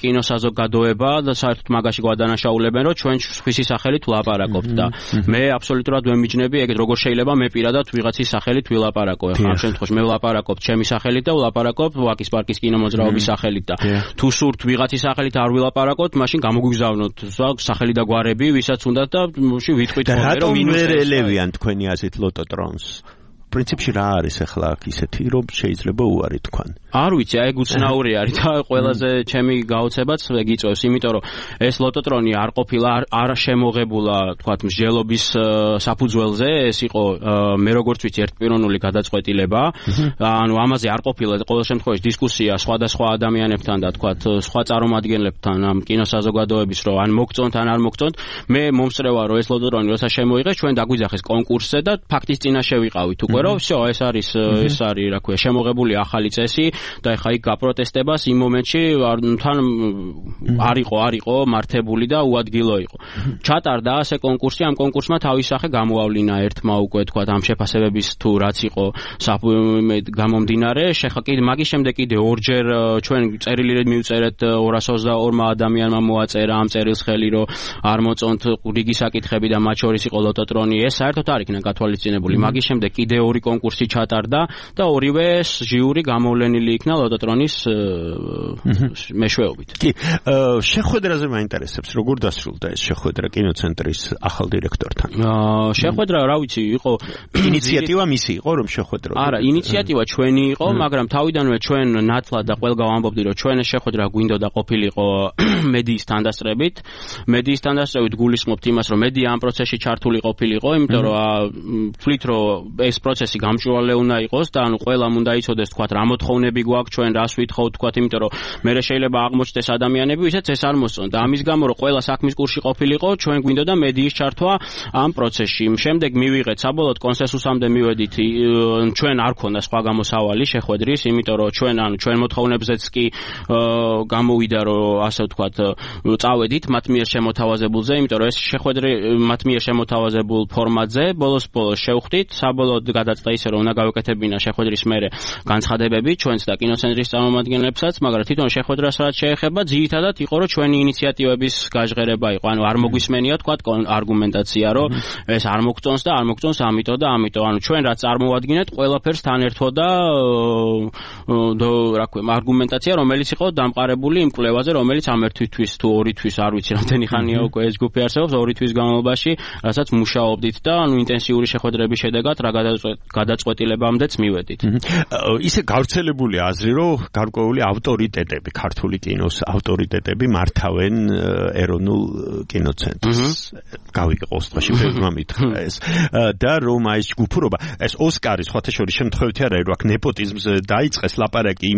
კინოსაზოგადოება და საერთოდ მაგაში გვადანაშაულებენ, რომ ჩვენ სხვისი სახელით ვლაპარაკობთ და მე აბსოლუტურად ვერ მიჯნები ეგეთ როგორ შეიძლება მე პირადად ვიღაცის სახელით ვილაპარაკო. ახლა ამ შემთხვევაში მე ვლაპარაკობ ჩემი სახელით და ვლაპარაკობ ვაკის პარკის კინომოძრაობის სახელით და თუ სურთ ვიღაცის სახელით არ ვილაპარაკოთ, მაშინ გამოგვიგზავნოთ სახელი და გვარები, ვისაც უნდათ და ვიტყვით ხოლმე, რომ ვინუს ვერ ელევიან თქვენი აზრით ლოტოტრონს. პრინციპში რა არის ახლა აქ ისეთი რომ შეიძლება უარი თქვან არ ვიცი აი უცნაური არის და ყველაზე ჩემი გაოცებაც ეგ იწევს იმიტომ რომ ეს ლოტოტრონი არ ყოფილა არ შემოღებულა თქვათ მსჯელობის საფუძველზე ეს იყო მე როგორც ვიცი ერთპიროვნული გადაწყვეტილება ანუ ამაზე არ ყოფილა ყოველ შემთხვევაში დისკუსია სხვადასხვა ადამიანებთან და თქვათ სხვა წარმომადგენლებთან ამ კინოსაზოგადოების რომ ან მოგწონთ ან არ მოგწონთ მე მომსწრევა რომ ეს ლოტოტრონი როცა შემოიღეს ჩვენ დაგვიძახეს კონკურსზე და ფაქტის წინაშე ვიყავით უკვე რომ всё ეს არის ეს არის რა ქვია შემოღებული ახალი წესი და ეხა იქ გაპროტესტებას იმ მომენტში თან არ იყო არ იყო მართებული და უადგილო იყო ჩატარდა ასე კონკურსი ამ კონკურსმა თავის სახე გამოავლინა ერთმა უკვე თქვა ამ შეფასებების თუ რაც იყო გამომდინარე შეხა კიდე მაგის შემდეგ კიდე ორჯერ ჩვენ წერილით მივწერეთ ორას ოცდაორმა ადამიანმა მოაწერა ამ წერილს ხელი რომ არ მოწონთ რიგი საკითხები და მათ შორის იყო ლოტოტრონი ეს საერთოდ არ იქნა გათვალისწინებული მაგის შემდეგ კიდე ორი კონკურსი ჩატარდა და ორივე ჟიური გამოვლენილი იქნა ლოტოტრონის მეშვეობით კი შეხვედრაზე მაინტერესებს როგორ დასრულდა ეს შეხვედრა კინოცენტრის ახალ დირექტორთან შეხვედრა რა ვიცი იყო ინიციატივა მისი იყო რომ შეხვედრა არა ინიციატივა ჩვენი იყო მაგრამ თავიდანვე ჩვენ ნათლად და ყველგან ვამბობდი რომ ჩვენ ეს შეხვედრა გვინდოდა ყოფილიყო მედიის თანდასწრებით მედიის თანდასწრებით გულისხმობთ იმას რომ მედია ამ პროცესში ჩართული ყოფილიყო იმიტომ რომ ვთვლით რომ ეს პროცესი გამჭვირვალე უნდა იყოს და ანუ ყველამ უნდა იცოდეს თქვათ რა მოთხოვნები გვაქვს ჩვენ რას ვითხოვთ თქვათ იმიტომ რომ მე შეიძლება აღმოჩნდეს ადამიანები ვისაც ეს არ მოსწონთ და ამის გამო რომ ყველა საქმის კურსში ყოფილიყო ჩვენ გვინდოდა მედიის ჩართვა ამ პროცესში შემდეგ მივიღეთ საბოლოოდ კონსენსუსამდე მივედით ჩვენ არ ქონდა სხვა გამოსავალი შეხვედრის იმიტომ რომ ჩვენ ანუ ჩვენ მოთხოვნებზეც კი გამოვიდა რომ ასე ვთქვათ წავედით მათ მიერ შემოთავაზებულზე იმიტომ რომ ეს შეხვედრა მათ მიერ შემოთავაზებულ ფორმატზე ბოლოს ბოლოს შევხვდით საბოლოოდ გადაწყდა ისე რომ უნდა გავეკეთებინა შეხვედრის მერე განცხადებები ჩვენც და კინოცენტრის წარმომადგენლებსაც მაგრამ თვითონ შეხვედრას რაც შეეხება ძირითადად იყო რომ ჩვენი ინიციატივების გაჟღერება იყო ანუ არ მოგვისმენია თქვათ არგუმენტაცია რომ ეს არ მოგწონს და არ მოგწონს ამიტომ და ამიტომ ანუ ჩვენ რაც წარმოვადგინეთ ყველაფერს თან ერთვო და რა ქვია არგუმენტაცია რომელიც იყო დამყარებული იმ კვლევაზე რომელიც ამ ერთი თვის თუ ორი თვის არ ვიცი რამდენი ხანია უკვე ეს ჯგუფი არსებობს ორი თვის განმავლობაში რასაც მუშაობდით და ანუ ინტენსიური შეხვედრების შედეგად რა გადაწყვეტილებამდეც მივედით ისე გავრცელებული აზრი რომ გარკვეული ავტორიტეტები ქართული კინოს ავტორიტეტები მართავენ ეროვნულ კინოცენტრს გავიგე ყოველდღეში ფერმა მითხრა ეს და რომ აი ჯგუფურობა ეს ოსკარის სხვათა შორის შემთხვევით არა რომ აქ ნეპოტიზმზე დაიწყეს ლაპარაკი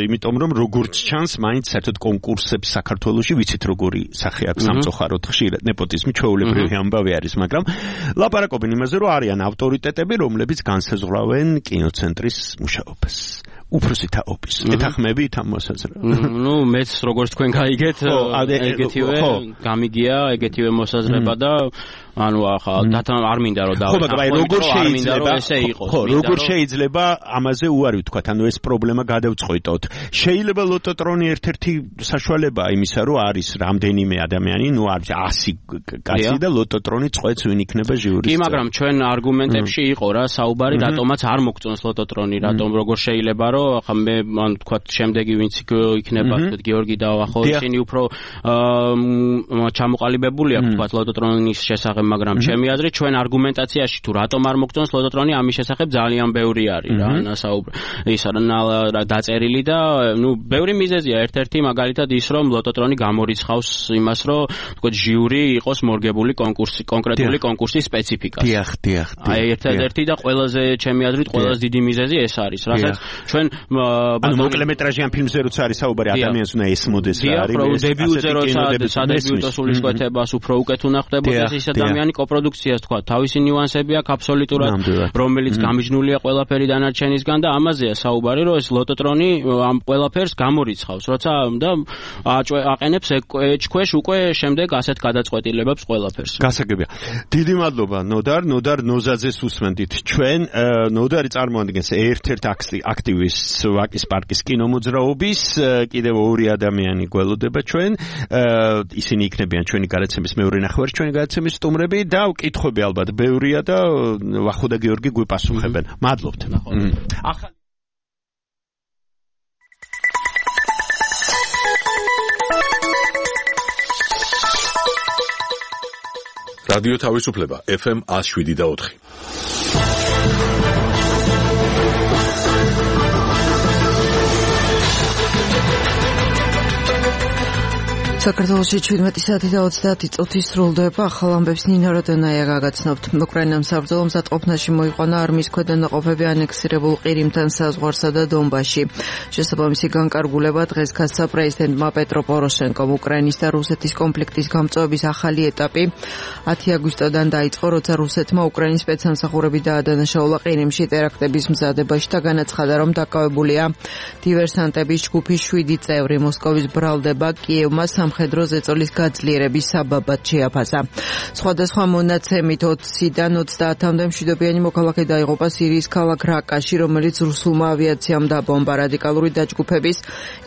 იმიტომ რომ როგორც ჩანს მაინც საერთოდ კონკურსებს საქართველოში ვიცით როგორი სახე აქვს სამწუხაროდ ხშირად ნეპოტიზმი ჩვეულებრივი ამბავი არის მაგრამ ლაპარაკობენ იმაზე რომ არიან ავტორიტეტები რომლებიც განსაზღვრავენ კინოცენტრის მუშაობას უფროსი თაობის ეთახმებით ამ მოსაზრებას ნუ მეც როგორც თქვენ გაიგეთ ეგეთივე გამიგია ეგეთივე მოსაზრება და ანუ ახლა დათა არ მინდა რომ ხო მაგრამ როგორ შეიძლება ესე იყოს ხო როგორ შეიძლება ამაზე უარი ვთქვათ ანუ ეს პრობლემა გადავწყვეტოთ შეიძლება ლოტოტრონი ერთ-ერთი საშუალებაა იმისა რომ არის რამდენიმე ადამიანი ნუ არის ასი კაცი და ლოტოტრონი წყვეტს ვინ იქნება ჟიურის კი მაგრამ ჩვენ არგუმენტებში იყო რა საუბარი რატომაც არ მოგწონს ლოტოტრონი რატომ როგორ შეიძლება რომ ახლა მე ან ვთქვათ შემდეგი ვინც იქნება გიორგი დავა ხო ისინი უფრო ჩამოყალიბებული აქვს ვთქვათ ლოტოტრონის შესახებ მაგრამ ჩემი აზრით ჩვენ არგუმენტაციაში თუ რატომ არ მოგწონს ლოტოტრონი ამის შესახებ ძალიან ბევრი არის რა ნასაუბრი ის რა დაწერილი და ნუ ბევრი მიზეზია ერთ-ერთი მაგალითად ის რომ ლოტოტრონი გამორიცხავს იმას რომ თქო ჟიური იყოს მორგებული კონკურსი კონკრეტული კონკურსის სპეციფიკას დიახ დიახ აი ერთ-ერთი და ყველაზე ჩემი აზრით ყველაზე დიდი მიზეზი ეს არის რასაც ჩვენ ანუ მოკლემეტრაჟიან ფილმზე როცა არის საუბარი ადამიანს უნდა ესმოდეს რა არის დებიუტზე როცა სადებიუტო სულისკვეთებას უფრო უკეთ უნდა ხდებოდეს ის ადამიანი კოპროდუქციას თქვა თავისი ნიუანსები აქვს აბსოლუტურად რომელიც გამიჯნულია ყველაფერი დანარჩენისგან და ამაზეა საუბარი რომ ეს ლოტოტრონი ამ ყველაფერს გამორიცხავს როცა და აყენებს ეჭქვეშ უკვე შემდეგ ასეთ გადაწყვეტილებებს ყველაფერს გასაგებია დიდი მადლობა ნოდარ ნოდარ ნოზაძეს უსმენდით ჩვენ ნოდარი წარმოადგენს ერთ-ერთ აქტივისტს ვაკის პარკის კინომოძრაობის კიდევ ორი ადამიანი გველოდება ჩვენ ისინი იქნებიან ჩვენი გადაცემის მეორე ნახევარი ჩვენი გადაცემის სტუმრები და კითხვები ალბათ ბევრია და ვახო და გიორგი გვიპასუხებენ მადლობთ ახლა რადიო თავისუფლება ეფ ემ one oh seven და four საქართველოში ჩვიდმეტი საათი და ოცდაათი წუთი სრულდება. ახალ ამბებს ნინო როდონაია გაგაცნობთ. უკრაინამ საბრძოლო მზადყოფნაში მოიყვანა არმიის ქვედანაყოფები ანექსირებულ ყირიმთან საზღვარსა და დონბასში. შესაბამისი განკარგულება დღეს გასცა პრეზიდენტმა პეტრო პოროშენკომ. უკრაინის და რუსეთის კონფლიქტის გამწვევების ახალი ეტაპი ათი აგვისტოდან დაიწყო, როცა რუსეთმა უკრაინის სპეცსამსახურები დაადანაშაულა ყირიმში ტერაქტების მზადებაში და განაცხადა, რომ დაკავებულია დივერსანტების ჯგუფის შვიდი წევრი. მოსკოვის ბრალდება კიევმა სამხედრო ზეწოლის გაძლიერების საბაბად შეაფასა. სხვადასხვა მონაცემით ოცდაათიდან ოცდაათამდე მშვიდობიანი მოქალაქე დაიღუპა სირიის ქალაქ რაკაში, რომელიც რუსულმა ავიაციამ დაბომბა. რადიკალური დაჯგუფების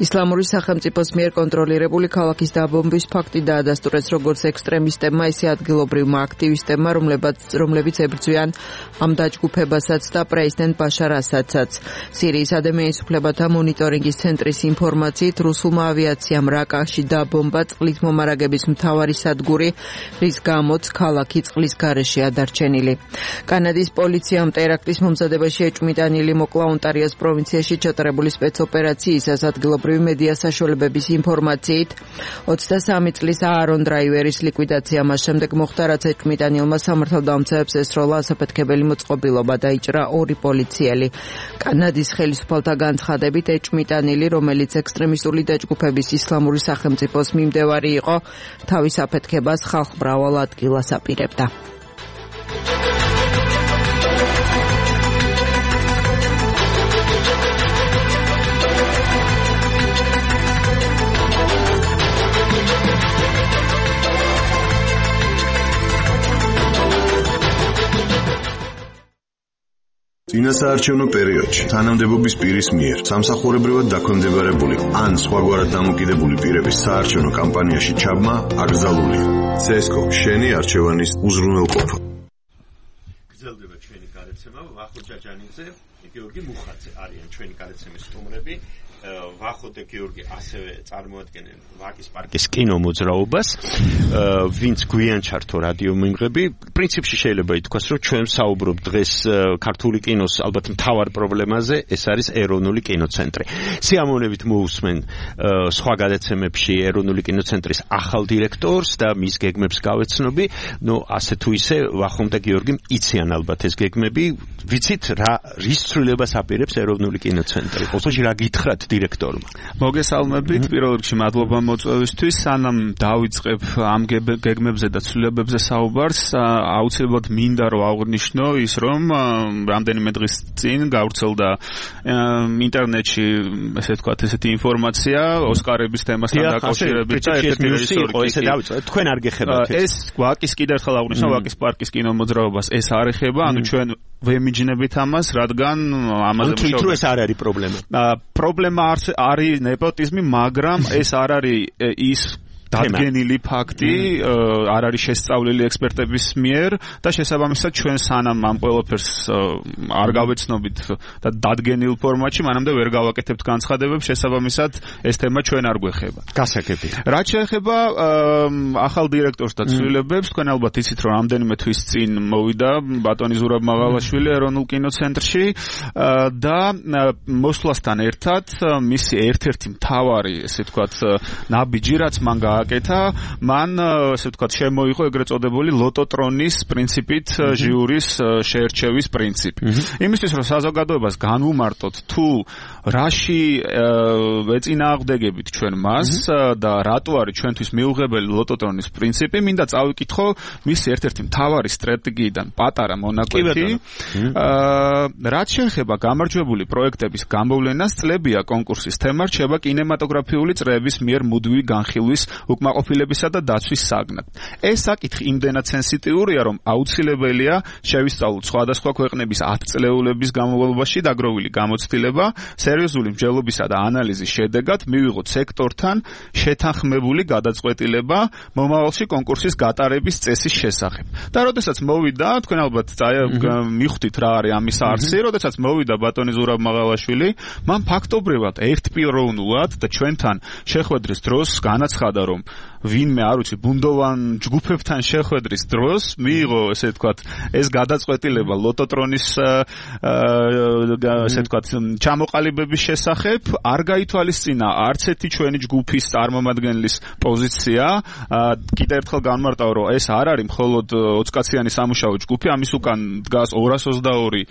ისლამური სახელმწიფოს მიერ კონტროლირებული ქალაქის დაბომბვის ფაქტი დაადასტურეს როგორც ექსტრემისტებმა, ისე ადგილობრივმა აქტივისტებმა, რომლებიც ებრძვიან ამ დაჯგუფებასაც და პრეზიდენტ ბაშარ ასადსაც. სირიის ადამიანის უფლებათა მონიტორინგის ცენტრის ინფორმაციით, რუსულმა ავიაციამ რაკაში დაბომბა წყლით მომარაგების მთავარი სადგური, რის გამოც ქალაქი წყლის გარეშეა დარჩენილი. კანადის პოლიციამ ტერაქტის მომზადებაში ეჭვმიტანილი მოკლა ონტარიოს პროვინციაში ჩატარებული სპეცოპერაციისას. ადგილობრივი მედია საშუალებების ინფორმაციით, ოცდასამი წლის აარონ დრაივერის ლიკვიდაცია მას შემდეგ მოხდა, რაც ეჭვმიტანილმა სამართალდამცავებს ესროლა ასაფეთქებელი მოწყობილობა, დაიჭრა ორი პოლიციელი. კანადის ხელისუფალთა განცხადებით, ეჭვმიტანილი, რომელიც ექსტრემისტული დაჯგუფების ისლამური სახელმწიფოს მიმდევარი იყო, თავის აფეთქებას ხალხმრავალ ადგილას აპირებდა. წინასაარჩევნო პერიოდში თანამდებობის პირის მიერ სამსახურებრივად დაქვემდებარებული ან სხვაგვარად დამოკიდებული პირების საარჩევნო კამპანიაში ჩაბმა აკრძალულია. ცესკო შენი არჩევანის უზრუნველყოფა. გრძელდება ჩვენი გარეთცემა. ვახო ჯაჯანიძე, გიორგი მუხაძე არიან ჩვენი გარეთცემის სტუმრები. ვახო და გიორგი ასევე წარმოადგენენ ვაკის პარკის კინომოძრაობას, ვინც გვიან ჩართო რადიო მიმღები. პრინციპში შეიძლება ითქვას, რომ ჩვენ საუბრობ დღეს ქართული კინოს ალბათ მთავარ პრობლემაზე, ეს არის ეროვნული კინოცენტრი. სიამოვნებით მოусმენ სხვა გადაცემებში ეროვნული კინოცენტრის ახალ დირექტორს და მის გეგმებს გავეცნობი. ნუ ასე თუ ისე ვახომ და გიორგიმ იციან ალბათ ეს გეგმები. ვიცით რა რის ცვლილებას აპირებს ეროვნული კინოცენტრი? ოსოში რა გითხრათ დირექტორმა? მოგესალმებით, პირველ რიგში მადლობა მოწვევისთვის. სანამ დავიწყებ ამ გეგმებზე და ცვლილებებზე საუბარს, აუცილებლად მინდა რომ აღვნიშნო ის, რომ რამდენიმე დღის წინ გავრცელდა ინტერნეტში, ესე ვთქვათ, ესეთი ინფორმაცია ოსკარების თემასთან დაკავშირებით და ერთ-ერთი რეჟისორი ესე დავიწყეთ, თქვენ არ გეხებათ ეს? ეს ვაკის კიდევ ერთხელ აღვნიშნო, ვაკის პარკის კინომოძრაობას ეს არ ეხება, ანუ ჩვენ ვემიჯნებით ამას, რადგან ამაზე მუშაობთ. თუ ეს არ არის პრობლემა. პრობლემა არის ნეპოტიზმი, მაგრამ ეს არ არის ის დადგენილი ფაქტი, არ არის შესწავლილი ექსპერტების მიერ და შესაბამისად ჩვენ სანამ ამ ყველაფერს არ გავეცნობით და დადგენილ ფორმატში, მანამდე ვერ გავაკეთებთ განცხადებებს, შესაბამისად ეს თემა ჩვენ არ გვეხება. გასაგები. რაც შეეხება ახალ დირექტორს და ცვლილებებს, თქვენ ალბათ იცით, რომ რამდენიმე თვის წინ მოვიდა ბატონი ზურაბ მაღალაშვილი ეროვნულ კინოცენტრში და მოსვლასთან ერთად მისი ერთ-ერთი მთავარი, ესე ვთქვათ, ნაბიჯი, რაც მან აკეთა, მან ასე ვთქვათ შემოიღო ეგრეთ წოდებული ლოტოტრონის პრინციპით ჟიურის შეერჩევის პრინციპი. იმისთვის რომ საზოგადოებას განვუმარტოთ თუ რაში ეწინააღმდეგებით ჩვენ მას და რატო არის ჩვენთვის მიუღებელი ლოტოტრონის პრინციპი, მინდა წავიკითხო მის ერთ-ერთი მთავარი სტრატეგიიდან პატარა მონაკვეთი. რაც შეეხება გამარჯვებული პროექტების გამოვლენას, წლებია კონკურსის თემა რჩება კინემატოგრაფიული წრეების მიერ მუდმივი განხილვის, უკმაყოფილებისა და დაცვის საგნად. ეს საკითხი იმდენად სენსიტიურია, რომ აუცილებელია შევისწავლოთ სხვადასხვა ქვეყნების ათწლეულების განმავლობაში დაგროვილი გამოცდილება, სერიოზული მსჯელობისა და ანალიზის შედეგად მივიღოთ სექტორთან შეთანხმებული გადაწყვეტილება მომავალში კონკურსის გატარების წესის შესახებ. და როდესაც მოვიდა, თქვენ ალბათ მიხვდით რა არის ამის არსი, როდესაც მოვიდა ბატონი ზურაბ მაღალაშვილი, მან ფაქტობრივად ერთპიროვნულად და ჩვენთან შეხვედრის დროს განაცხადა, რომ ვინმე არ ვიცი ბუნდოვან ჯგუფებთან შეხვედრის დროს მიიღო ესე ვთქვათ ეს გადაწყვეტილება ლოტოტრონის ესე ვთქვათ ჩამოყალიბების შესახებ არ გაითვალისწინა არც ერთი ჩვენი ჯგუფის წარმომადგენლის პოზიცია კიდევ ერთხელ განმარტავ რომ ეს არ არის მხოლოდ ოცკაციანი სამუშაო ჯგუფი ამის უკან დგას ორას ოცდაორი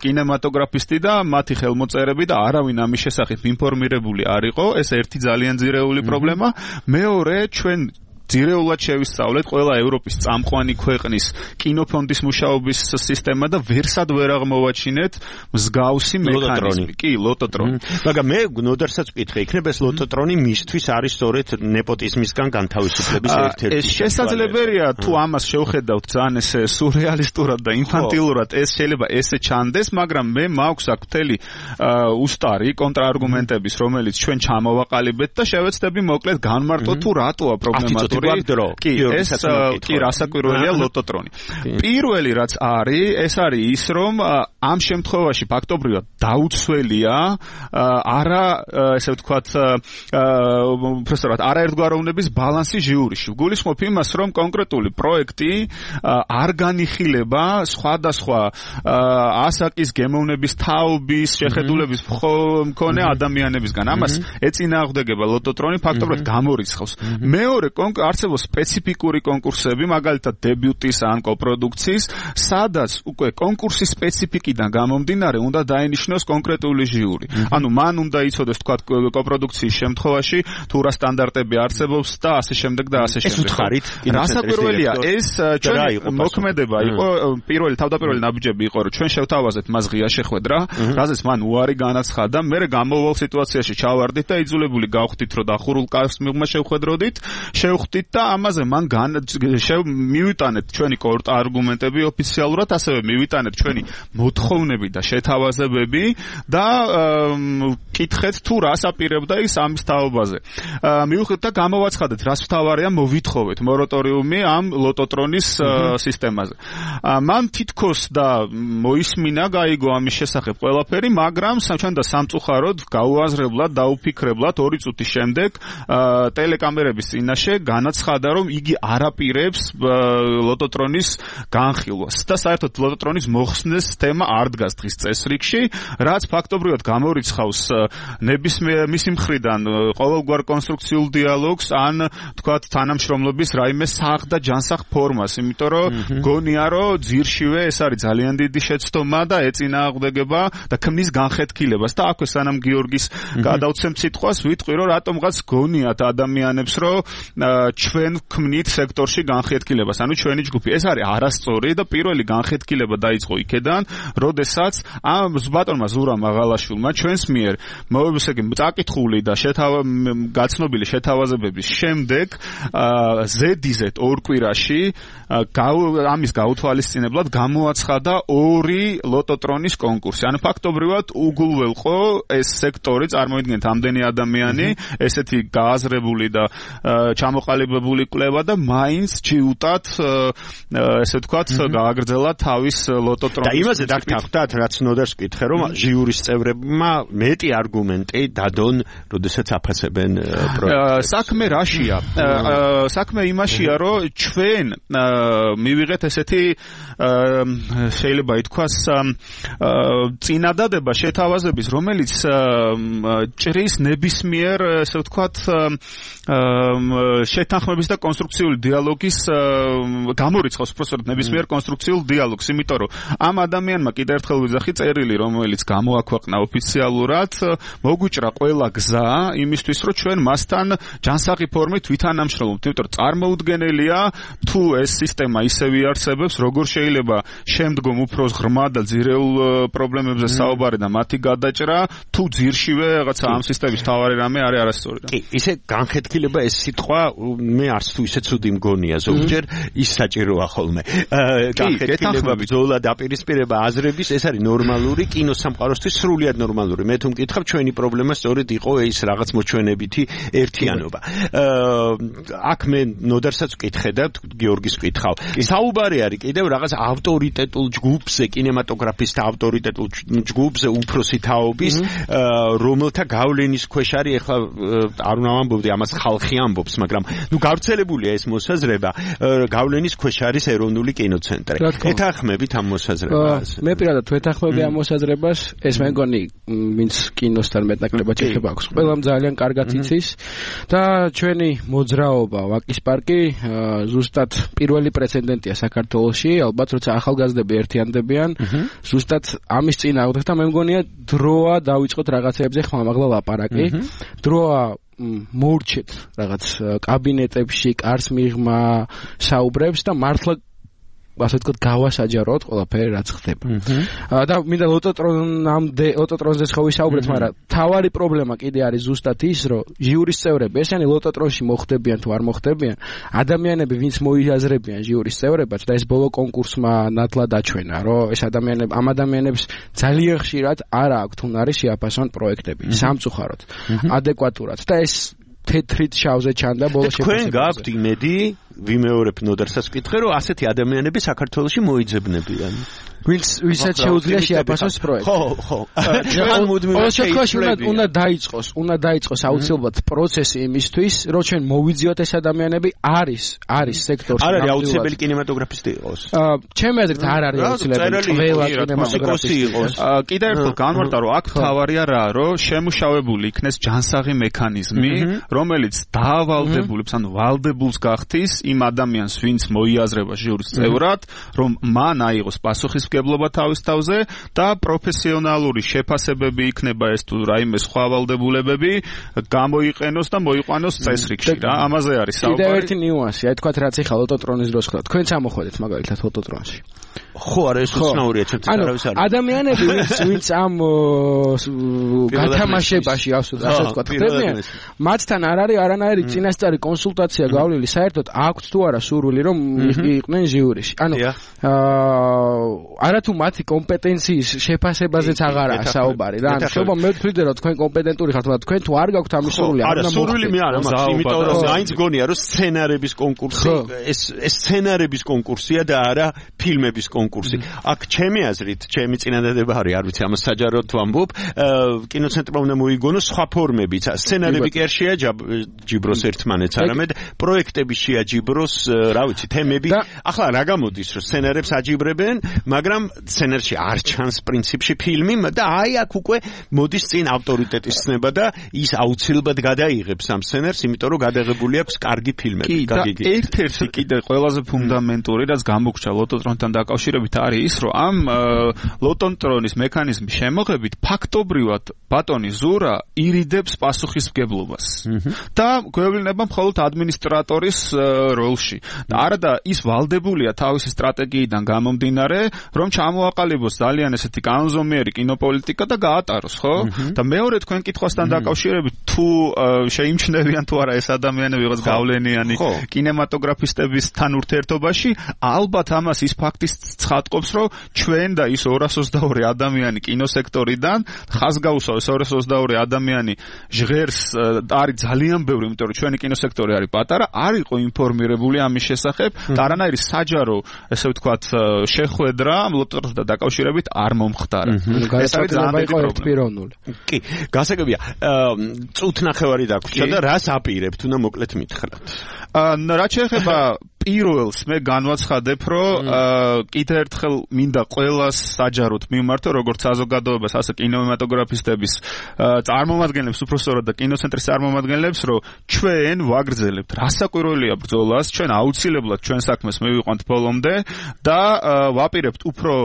კინემატოგრაფისტი და მათი ხელმოწერები და არავინ ამის შესახებ ინფორმირებული არ იყო ეს ერთი ძალიან ძირეული პრობლემა მეორე ჩვენ ძირეულად შევისწავლეთ ყველა ევროპის წამყვანი ქვეყნის კინოფონდის მუშაობის სისტემა და ვერსად ვერ აღმოვაჩინეთ მსგავსი მექანიზმი. კი, ლოტოტრონი. მაგრამ მე ნოდარსაც ვკითხე, იქნება ეს ლოტოტრონი მისთვის არის სწორედ ნეპოტიზმისგან განთავისუფლების ერთ-ერთი. ეს შესაძლებელია თუ ამას შევხედავთ ძალიან ესე სურეალისტურად და ინფანტილურად ეს შეიძლება ესე ჩანდეს, მაგრამ მე მაქვს აქ მთელი უსტარი კონტრარგუმენტების, რომელიც ჩვენ ჩამოვაყალიბეთ და შევეცდები მოკლედ განმარტოთ თუ რატოა პრობლემა კი, ეს კი რასაკვირველია ლოტოტრონი. პირველი რაც არის, ეს არის ის, რომ ამ შემთხვევაში ფაქტობრივად დაუცველია არა, ესე ვთქვათ, პროფესორად, არაერთგვაროვნების ბალანსი ჟიურიში. გულისხმობ იმას, რომ კონკრეტული პროექტი არ განიხილება სხვადასხვა ასაკის გემოვნების თაობის შეხედულების მქონე ადამიანებისგან. ამას ეწინააღმდეგება ლოტოტრონი ფაქტობრივად გამორიცხავს. მეორე არსებობს სპეციფიკური კონკურსები, მაგალითად დებიუტის ან კოპროდუქციის, სადაც უკვე კონკურსის სპეციფიკიდან გამომდინარე უნდა დაინიშნოს კონკრეტული ჟიური. ანუ მან უნდა იცოდეს თქვა კოპროდუქციის შემთხვევაში თუ რა სტანდარტები არსებობს და ასე შემდეგ და ასე შემდეგ. ეს უთხარით, რასაკვირველია, ეს ჩვენი მოქმედება იყო, პირველი თავდაპირველი ნაბიჯები იყო, რომ ჩვენ შევთავაზეთ მას ღია შეხვედრა, რაზეც მან უარი განაცხადა, მე გამოვალ სიტუაციაში ჩავარდით და იძულებული გავხდით, რომ დახურულ კავშირს მიღმა შევხვედროდით, შევხვდით და ამაზე მან მივიტანეთ ჩვენი კონტრარგუმენტები ოფიციალურად, ასევე მივიტანეთ ჩვენი მოთხოვნები და შეთავაზებები და კითხეთ თუ რას აპირებდა ის ამის თაობაზე. მივხვდით და გამოვაცხადეთ, რას მთავარია მოვითხოვეთ მორატორიუმი ამ ლოტოტრონის სისტემაზე. მან თითქოს და მოისმინა, გაიგო ამის შესახებ ყველაფერი, მაგრამ ჩვენ და სამწუხაროდ გაუაზრებლად, დაუფიქრებლად ორი წუთის შემდეგ ტელეკამერების წინაშე განაცხადა, რომ იგი არაპირებს ლოტოტრონის განხილვას და საერთოდ ლოტოტრონის მოხსნეს თემა არ დგას დღის წესრიგში, რაც ფაქტობრივად გამორიცხავს ნებისმიერ მისი მხრიდან ყოველგვარ კონსტრუქციულ დიალოგს ან თქვათ თანამშრომლობის რაიმე სახ და ჯანსაღ ფორმას, იმიტომ რომ გონია რომ ძირშივე ეს არის ძალიან დიდი შეცდომა და ეწინააღმდეგება და ქმნის განხეთქილებას და აქვე სანამ გიორგის გადავცემ სიტყვას ვიტყვი რომ რატომღაც გონიათ ადამიანებს რომ ჩვენ ვქმნით სექტორში განხეთქილებას, ანუ ჩვენი ჯგუფი. ეს არის არასწორი და პირველი განხეთქილება დაიწყო იქედან, როდესაც ამ ბატონმა ზურამ აღალაშვილმა ჩვენს მიერ მოებისაკი წაკითხული და გაცნობილი შეთავაზებების შემდეგ ზედიზეთ ორ კვირაში ამის გაუთვალისწინებლად გამოაცხადა ორი ლოტოტრონის კონკურსი. ანუ ფაქტობრივად უგულველყო ეს სექტორი, წარმოიდგინეთ ამდენი ადამიანი, ესეთი გააზრებული და ჩამოყალიბებული კვლევა და მაინც ჯიუტად ესე ვთქვათ გააგრძელა თავის ლოტოტრონის. და იმაზე დაგთანხმდათ, რაც ნოდარს ვკითხე, რომ ჟიურის წევრებმა მეტი არგუმენტი დადონ, როდესაც აფასებენ პროექტს. საქმე რაშია? საქმე იმაშია, რომ ჩვენ მივიღეთ ესეთი შეიძლება ითქვას წინადადება შეთავაზების, რომელიც ჭრის ნებისმიერ ესე ვთქვათ შეთანხმების და კონსტრუქციული დიალოგის გამორიცხავს პროფესორად ნებისმიერ კონსტრუქციულ დიალოგს, იმიტომ რომ ამ ადამიანმა კიდევ ერთხელ ვიძახი წერილი, რომელიც გამოაქვეყნა ოფიციალურად, მოგვიჭრა ყველა გზა იმისთვის, რომ ჩვენ მასთან ჯანსაღი ფორმით ვითანამშრომლობთ, იმიტომ რომ წარმოუდგენელია თუ ეს სისტემა ისევ იარსებებს, როგორ შეიძლება შემდგომ უფრო ღრმა და ძირეულ პრობლემებზე საუბარი და მათი გადაჭრა, თუ ძირშივე რაღაცა ამ სისტემის თავარი რამე არის არასწორი. კი, ისე განხეთქილება ეს სიტყვა მე არც თუ ისე ცუდი მგონია ზოგჯერ ის საჭიროა ხოლმე. განხეთქილება, ბრძოლა, დაპირისპირება აზრების ეს არის ნორმალური კინოსამყაროსთვის სრულიად ნორმალური. მე თუ მკითხავთ, ჩვენი პრობლემა სწორედ იყო ეს რაღაც მოჩვენებითი ერთიანობა. აქ მე ნოდარსაც ვკითხე და გიორგის ვკითხავ. საუბარი არის კიდევ რაღაც ავტორიტეტულ ჯგუფზე, კინემატოგრაფისტთა ავტორიტეტულ ჯგუფზე უფროსი თაობის, რომელთა გავლენის ქვეშ არის ეხლა არ უნდა ვამბობდი ამას ხალხი ამბობს, მაგრამ ნუ გავრცელებულია ეს მოსაზრება, გავლენის ქვეშ არის ეროვნული კინოცენტრი. ეთანხმებით ამ მოსაზრებას? მე პირადად ვეთანხმები ამ მოსაზრებას, ეს მე მგონი ვინც კინოსთან მეტნაკლებად შეხება აქვს. ყველამ ძალიან კარგად იცის და ჩვენი მოძრაობა ვაკის პარკი ზუსტად პირველი პრეცედენტია საქართველოში, ალბათ როცა ახალგაზრდები ერთიანდებიან, ზუსტად ამის წინააღმდეგ და მე მგონია დროა დავიწყოთ რაღაცეებზე ხმამაღლა ლაპარაკი. დროა მოურჩეთ რაღაც კაბინეტებში კარს მიღმა საუბრებს და მართლა ასე ვთქვათ გავასაჯაროთ ყველაფერი რაც ხდება. და მინდა ლოტოტრონამდე ლოტოტრონზე ხო ვისაუბრეთ, მაგრამ თავარი პრობლემა კიდე არის ზუსტად ის, რომ ჟიურის წევრები, ესენი ლოტოტრონში მოხდებიან თუ არ მოხდებიან, ადამიანები ვინც მოიაზრებიან ჟიურის წევრებად და ეს ბოლო კონკურსმა ნათლად აჩვენა, რომ ეს ადამიანები ამ ადამიანებს ძალიან ხშირად არ აქვთ უნარი შეაფასონ პროექტები სამწუხაროდ, ადეკვატურად და ეს თეთრით შავზე ჩანდა ბოლო შეფასებაზე. თქვენ გაქვთ იმედი, ვიმეორებ ნოდარსაც ვკითხე, რომ ასეთი ადამიანები საქართველოში მოიძებნებიან. ვინც ვისაც შეუძლია შეაფასოს პროექტი. ხო, ხო. ჩვენ მუდმივად შეიქმნებიან. უნდა დაიწყოს, უნდა დაიწყოს აუცილებლად პროცესი იმისთვის, რომ ჩვენ მოვიძიოთ ეს ადამიანები, არის, არის სექტორში. არ არის აუცილებელი კინემატოგრაფისტი იყოს. ჩემი აზრით არ არის აუცილებელი ყველა კინემატოგრაფისტი იყოს. კიდევ ერთხელ განმარტა, რომ აქ თავარია რა, რომ შემუშავებული იქნეს ჯანსაღი მექანიზმი, რომელიც დაავალდებულებს, ანუ ვალდებულს გახდის იმ ადამიანს, ვინც მოიაზრება ჟიურის წევრად, რომ მან აიღოს პასუხისმგებლობა თავის თავზე და პროფესიონალური შეფასებები იქნება ეს თუ რაიმე სხვა ვალდებულებები გამოიყენოს და მოიყვანოს წესრიგში რა. ამაზე არის საუბარი. კიდევ ერთი ნიუანსი, აი თქვათ რაც ეხლა ლოტოტრონის დროს ხდება. თქვენ წამოხვედით მაგალითად ლოტოტრონში. ხო, არა ეს უცნაურია, ჩემთვის არავის არ. ადამიანები ვინც ვინც ამ გათამაშებაში ასე ვთქვათ, ხდებიან, მათთან არ არის არანაირი წინასწარი კონსულტაცია გავლილი, საერთოდ აქვთ თუ არა სურვილი რომ იყვნენ ჟიურიში. ანუ არათუ მათი კომპეტენციის შეფასებაზეც აღარაა საუბარი რა. ანუ შეიძლება მე ვთვლიდე რომ თქვენ კომპეტენტური ხართ, მაგრამ თქვენ თუ არ გაქვთ ამის სურვილი, არ უნდა სურვილი მე არ მაქვს, იმიტომ რომ აინც გონია რომ სცენარების კონკურსი, ეს ეს სცენარების კონკურსია და არა ფილმების კონკურსი. აქ ჩემი აზრით, ჩემი წინადადება არის, არ ვიცი, ამას საჯაროდ ვამბობ, კინოცენტრმა უნდა მოიგონოს სხვა ფორმებიც. სცენარები კი არ შეაჯიბროს ერთმანეთს, არამედ პროექტები შეაჯიბროს, რა ვიცი, თემები. ახლა რა გამოდის, რომ სცენარებს აჯიბრებენ, მაგრამ სცენარში არ ჩანს პრინციპში ფილმი და აი აქ უკვე მოდის წინ ავტორიტეტის ცნება და ის აუცილებლად გადაიღებს ამ სცენარს, იმიტომ რომ გადაღებული აქვს კარგი ფილმები. და ერთ-ერთი კიდე ყველაზე ფუნდამენტური, რაც გამოგჩა ლოტოტრონთან დაკავშირებით არის ის, რომ ამ ლოტოტრონის მექანიზმის შემოღებით ფაქტობრივად ბატონი ზურა ირიდებს პასუხისმგებლობას და გვევლინება მხოლოდ ადმინისტრატორის როლში. და არა და ის ვალდებულია თავისი სტრატეგიიდან გამომდინარე, რომ ჩამოაყალიბოს ძალიან ესეთი კანონზომიერი კინოპოლიტიკა და გაატაროს, ხო? და მეორე თქვენ კითხვასთან დაკავშირებით თუ შეიმჩნევიან თუ არა ეს ადამიანები ვიღაც გავლენიანი კინემატოგრაფისტებისთან ურთიერთობაში, ალბათ ამას ის ფაქტის ცხადყოფს, რომ ჩვენ და ის ორას ოცდაორი ადამიანი კინოსექტორიდან ხაზგაუსო ეს ორას ოცდაორი ადამიანი ჟღერს არის ძალიან ბევრი, იმიტომ რომ ჩვენი კინოსექტორი არის პატარა, არ იყო ინფორმირებული ამის შესახებ და არანაირი საჯარო, ესე ვთქვათ, შეხვედრა ლოტოტრონთან დაკავშირებით არ მომხდარა. ეს არის ძალიან პიროვნული. კი, გასაგებია. წუთ ნახევარი დაგვრჩა და რას აპირებთ, უნდა მოკლედ მითხრათ. რაც შეეხება პირველს მე განვაცხადებ, რომ კიდევ ერთხელ მინდა ყველას საჯაროდ მიმართო, როგორც საზოგადოებას, ასე კინემატოგრაფისტების წარმომადგენლებს, უпроსტორად და კინოცენტრის წარმომადგენლებს, რომ ჩვენ ვაგრძელებთ რასაკვირველია ბრძოლას, ჩვენ აუცილებლად ჩვენ საქმეს მივიყვანთ ბოლომდე და ვაპირებთ უფრო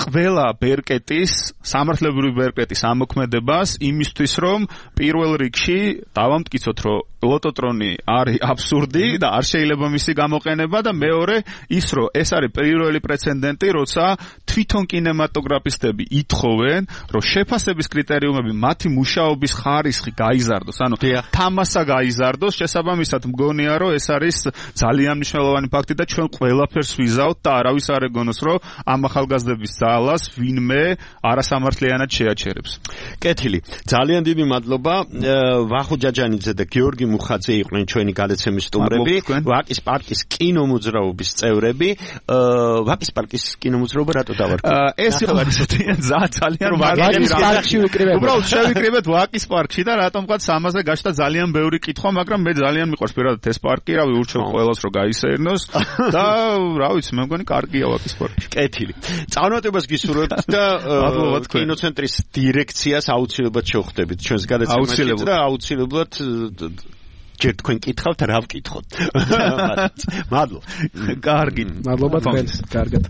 ყველა ბერკეტის, სამართლებრივი ბერკეტის ამოქმედებას იმისთვის, რომ პირველ რიგში დავამტკიცოთ, რომ ლოტოტრონი არის აბსურდი და არ შეიძლება მისი გამოყენება და მეორე ის რომ ეს არის პირველი პრეცედენტი პრეცედენტი, როცა თვითონ კინემატოგრაფისტები ითხოვენ, რომ შეფასების კრიტერიუმები მათი მუშაობის ხარისხი გაიზარდოს, ანუ თამასა გაიზარდოს, შესაბამისად მგონია, რომ ეს არის ძალიან მნიშვნელოვანი ფაქტი და ჩვენ ყველაფერს ვიზავთ და არავის არ ეგონოს, რომ ამ ახალგაზრდების ძალას ვინმე არასამართლიანად შეაჩერებს. კეთილი. ძალიან დიდი მადლობა. ვახო ჯაჯანიძე და გიორგი მუხაძე იყვნენ ჩვენი გადაცემის სტუმრები. ვაკის პარკის კინომოძრაობის წევრები. ვაკის პარკის კინომოძრაობა რატო დავარქვი? ეს იყო ძალიან ვაკის პარკში ვიკრიბებთ. უბრალოდ შევიკრიბეთ ვაკის პარკში და რატომღაც ამაზე გაჩნდა ძალიან ბევრი კითხვა, მაგრამ მე ძალიან მიყვარს პირადად ეს პარკი, რავი, ურჩევ ყველას რომ გაისეირნოს და რა ვიცი, მე მგონი კარგია ვაკის პარკი. კეთილი. წარმატებას გისურვებთ და კინოცენტრის დირექციას აუცილებლად შევხვდებით ჩვენს გადაცემაში და აუცილებლად ჯერ თქვენ კითხავთ, რა ვკითხოთ. მადლობა. კარგი. მადლობა თქვენს. კარგად.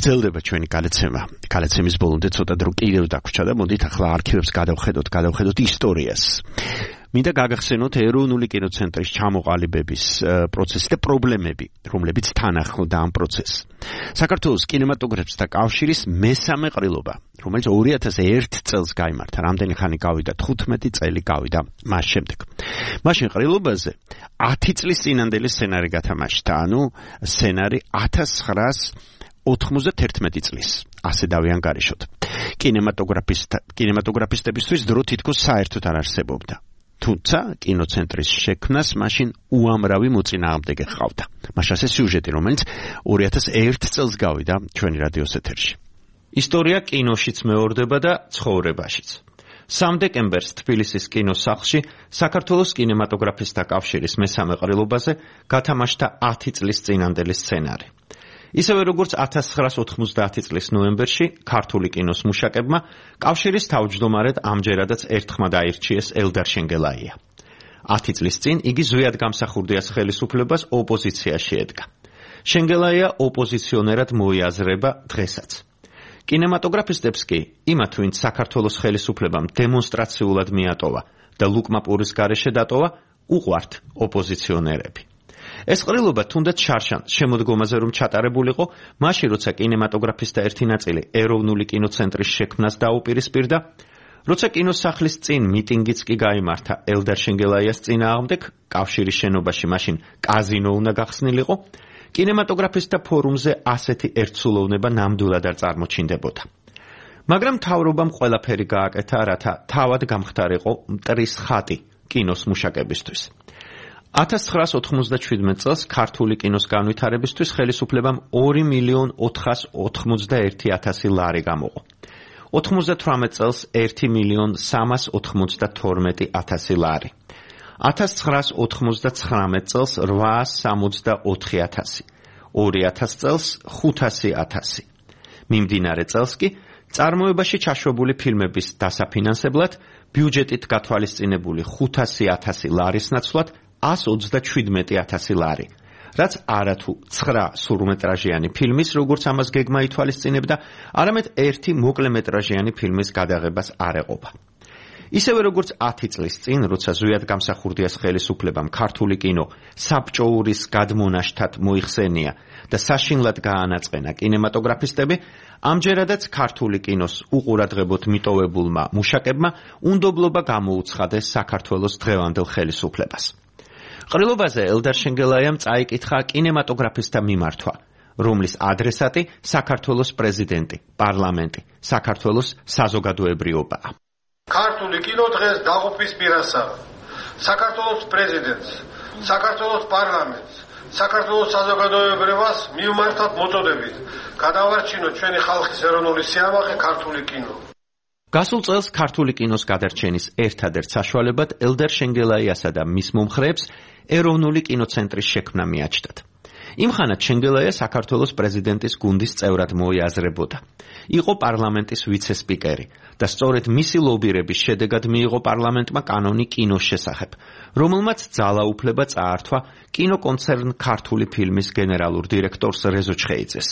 გრძელდება ჩვენი გადაცემა. გადაცემის ბოლომდე ცოტა დრო კიდევ დაგვრჩა და მოდით ახლა არქივებს გადავხედოთ, გადავხედოთ ისტორიას. მინდა გაგახსენოთ ეროვნული კინოცენტრის ჩამოყალიბების პროცესი და პრობლემები, რომლებიც თან ახლდა ამ პროცესს. საქართველოს კინემატოგრაფისტთა კავშირის მესამე ყრილობა, რომელიც ორი ათას ერთ წელს გაიმართა, რამდენი ხანი გავიდა? თხუთმეტი წელი გავიდა მას შემდეგ. მაშინ ყრილობაზე ათი წლის წინანდელი სცენარი გათამაშდა, ანუ სცენარი ათას ცხრაას ოთხმოცდათერთმეტი წლის, ასე დავიანგარიშოთ. კინემატოგრაფისტ კინემატოგრაფისტებისთვის დრო თითქოს საერთოდ არ არსებობდა. თუმცა კინოცენტრის შექმნას მაშინ უამრავი მოწინააღმდეგე ჰყავდა. მაშინ ასე სიუჟეტი, რომელიც ორი ათას ერთ წელს გავიდა ჩვენი რადიოს ეთერში. ისტორია კინოშიც მეორდება და ცხოვრებაშიც. სამ დეკემბერს თბილისის კინოსახლში საქართველოს კინემატოგრაფისტთა კავშირის მესამე ყრილობაზე გათამაშდა ათი წლის წინანდელი სცენარი. ისევე როგორც ათას ცხრაას ოთხმოცდაათი წლის ნოემბერში ქართული კინოს მუშაკებმა კავშირის თავმჯდომარედ ამჯერადაც ერთხმად აირჩიეს ელდარ შენგელაია. ათი წლის წინ იგი ზვიად გამსახურდიას ხელისუფლებას ოპოზიციაში ედგა. შენგელაია ოპოზიციონერად მოიაზრება დღესაც. კინემატოგრაფისტებს კი იმათ, ვინც საქართველოს ხელისუფლებამ დემონსტრაციულად მიატოვა და ლუკმაპურის გარეშე დატოვა, უყვართ ოპოზიციონერები. ეს ყრილობა თუნდაც შარშან შემოდგომაზე რომ ჩატარებულიყო, მაშინ როცა კინემატოგრაფისტთა ერთი ნაწილი ეროვნული კინოცენტრის შექმნას დაუპირისპირდა, როცა კინოსახლის წინ მიტინგიც კი გაიმართა ელდარ შენგელაიას წინააღმდეგ, კავშირის შენობაში მაშინ კაზინო უნდა გახსნილიყო, კინემატოგრაფისტთა ფორუმზე ასეთი ერთსულოვნება ნამდვილად არ წარმოჩინდებოდა. მაგრამ მთავრობამ ყველაფერი გააკეთა, რათა თავად გამხდარიყო მტრის ხატი კინოს მუშაკებისთვის. ათას ცხრაას ოთხმოცდაშვიდმეტ წელს ქართული კინოს განვითარებისთვის ხელისუფლებამ ორი მილიონ ოთხას ოთხმოცდაერთი ათასი ლარი გამოყო. ოთხმოცდათვრამეტ წელს ერთი მილიონ სამას ოთხმოცდათორმეტი ათასი ლარი. ათას ცხრაას ოთხმოცდაცხრამეტ წელს რვაას სამოცდაოთხი ათასი. ორი ათას წელს ხუთასი ათასი. მიმდინარე წელს კი წარმოებაში ჩაშვებული ფილმების დასაფინანსებლად ბიუჯეტით გათვალისწინებული ხუთასი ათასი ლარის ნაცვლად ას ოცდაშვიდმეტი ათასი ლარი, რაც არათუ ცხრა სრულმეტრაჟიანი ფილმის, როგორც ამას გეგმა ითვალისწინებდა, არამედ ერთი მოკლემეტრაჟიანი ფილმის გადაღებას არ ეყოფა. ისევე როგორც ათი წლის წინ, როცა ზვიად გამსახურდიას ხელისუფლებამ ქართული კინო საბჭოურის გადმონაშთად მოიხსენია და საშინლად გაანაწყენა კინემატოგრაფისტები, ამჯერადაც ქართული კინოს უყურადღებოდ მიტოვებულმა მუშაკებმა უნდობლობა გამოუცხადეს საქართველოს დღევანდელ ხელისუფლებას. ყრილობაზე ელდარ შენგელაიამ წაიკითხა კინემატოგრაფისტთა მიმართვა, რომლის ადრესატი საქართველოს პრეზიდენტი, პარლამენტი, საქართველოს საზოგადოებრიობაა. ქართული კინო დღეს დაღუპვის პირასაა. საქართველოს პრეზიდენტს, საქართველოს პარლამენტს, საქართველოს საზოგადოებრიობას მივმართოთ მოწოდებით. გადავარჩინოთ ჩვენი ხალხის ეროვნული სიამაყე ქართული კინო. გასულ წელს ქართული კინოს გადარჩენის ერთადერთ საშუალებად ელდარ შენგელაიასა და მის მომხრეებს ეროვნული კინოცენტრის შექმნა მიაჩნდათ. იმხანად შენგელაია საქართველოს პრეზიდენტის გუნდის წევრად მოიაზრებოდა. იყო პარლამენტის ვიცე-სპიკერი და სწორედ მისი ლობირების შედეგად მიიღო პარლამენტმა კანონი კინოს შესახებ, რომელმაც ძალაუფლება წაართვა კინოკონცერნ ქართული ფილმის გენერალურ დირექტორს რეზო ჩხეიძეს.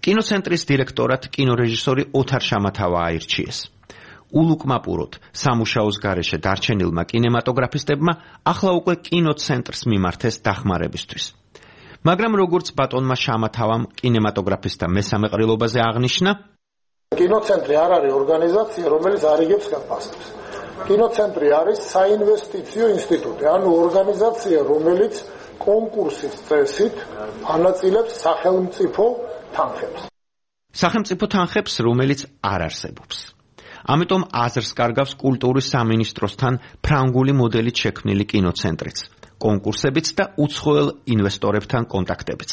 კინოცენტრის დირექტორად კინორეჟისორი ოთარ შამათავა აირჩიეს. ულუკმაპუროდ სამუშაოს გარეშე დარჩენილმა კინემატოგრაფისტებმა ახლა უკვე კინოცენტრს მიმართეს დახმარებისთვის. მაგრამ როგორც ბატონმა შამათავამ კინემატოგრაფისტთა მესამე ყრილობაზე აღნიშნა, კინოცენტრი არ არის ორგანიზაცია, რომელიც არიგებს გაფასებს. კინოცენტრი არის საინვესტიციო ინსტიტუტი, ანუ ორგანიზაცია, რომელიც კონკურსის წესით ანაწილებს სახელმწიფო თანხებს. სახელმწიფო თანხებს, რომელიც არ არსებობს. ამიტომ აზრს კარგავს კულტურის სამინისტროსთან ფრანგული მოდელით შექმნილი კინოცენტრიც, კონკურსებიც და უცხოელ ინვესტორებთან კონტაქტებიც.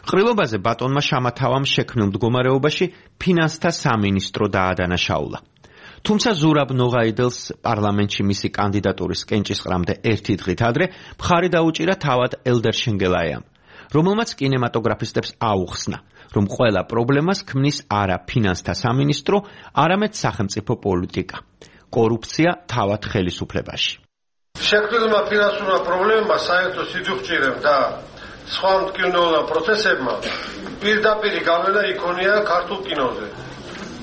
ყრილობაზე ბატონმა შამათავამ შექმნილ მდგომარეობაში ფინანსთა სამინისტრო დაადანაშაულა. თუმცა ზურაბ ნოღაიდელს პარლამენტში მისი კანდიდატურის კენჭისყრამდე ერთი დღით ადრე მხარი დაუჭირა თავად ელდარ შენგელაიამ, რომელმაც კინემატოგრაფისტებს აუხსნა, რომ ყველა პრობლემას ქმნის არა ფინანსთა სამინისტრო, არამედ სახელმწიფო პოლიტიკა, კორუფცია თავად ხელისუფლებაში. შექმნილმა ფინანსურმა პრობლემებმა საერთო სიძუხჭირემ და სხვა მტკივნეულან პროცესებმა პირდაპირი გავლენა იქონია ქართულ კინოზე.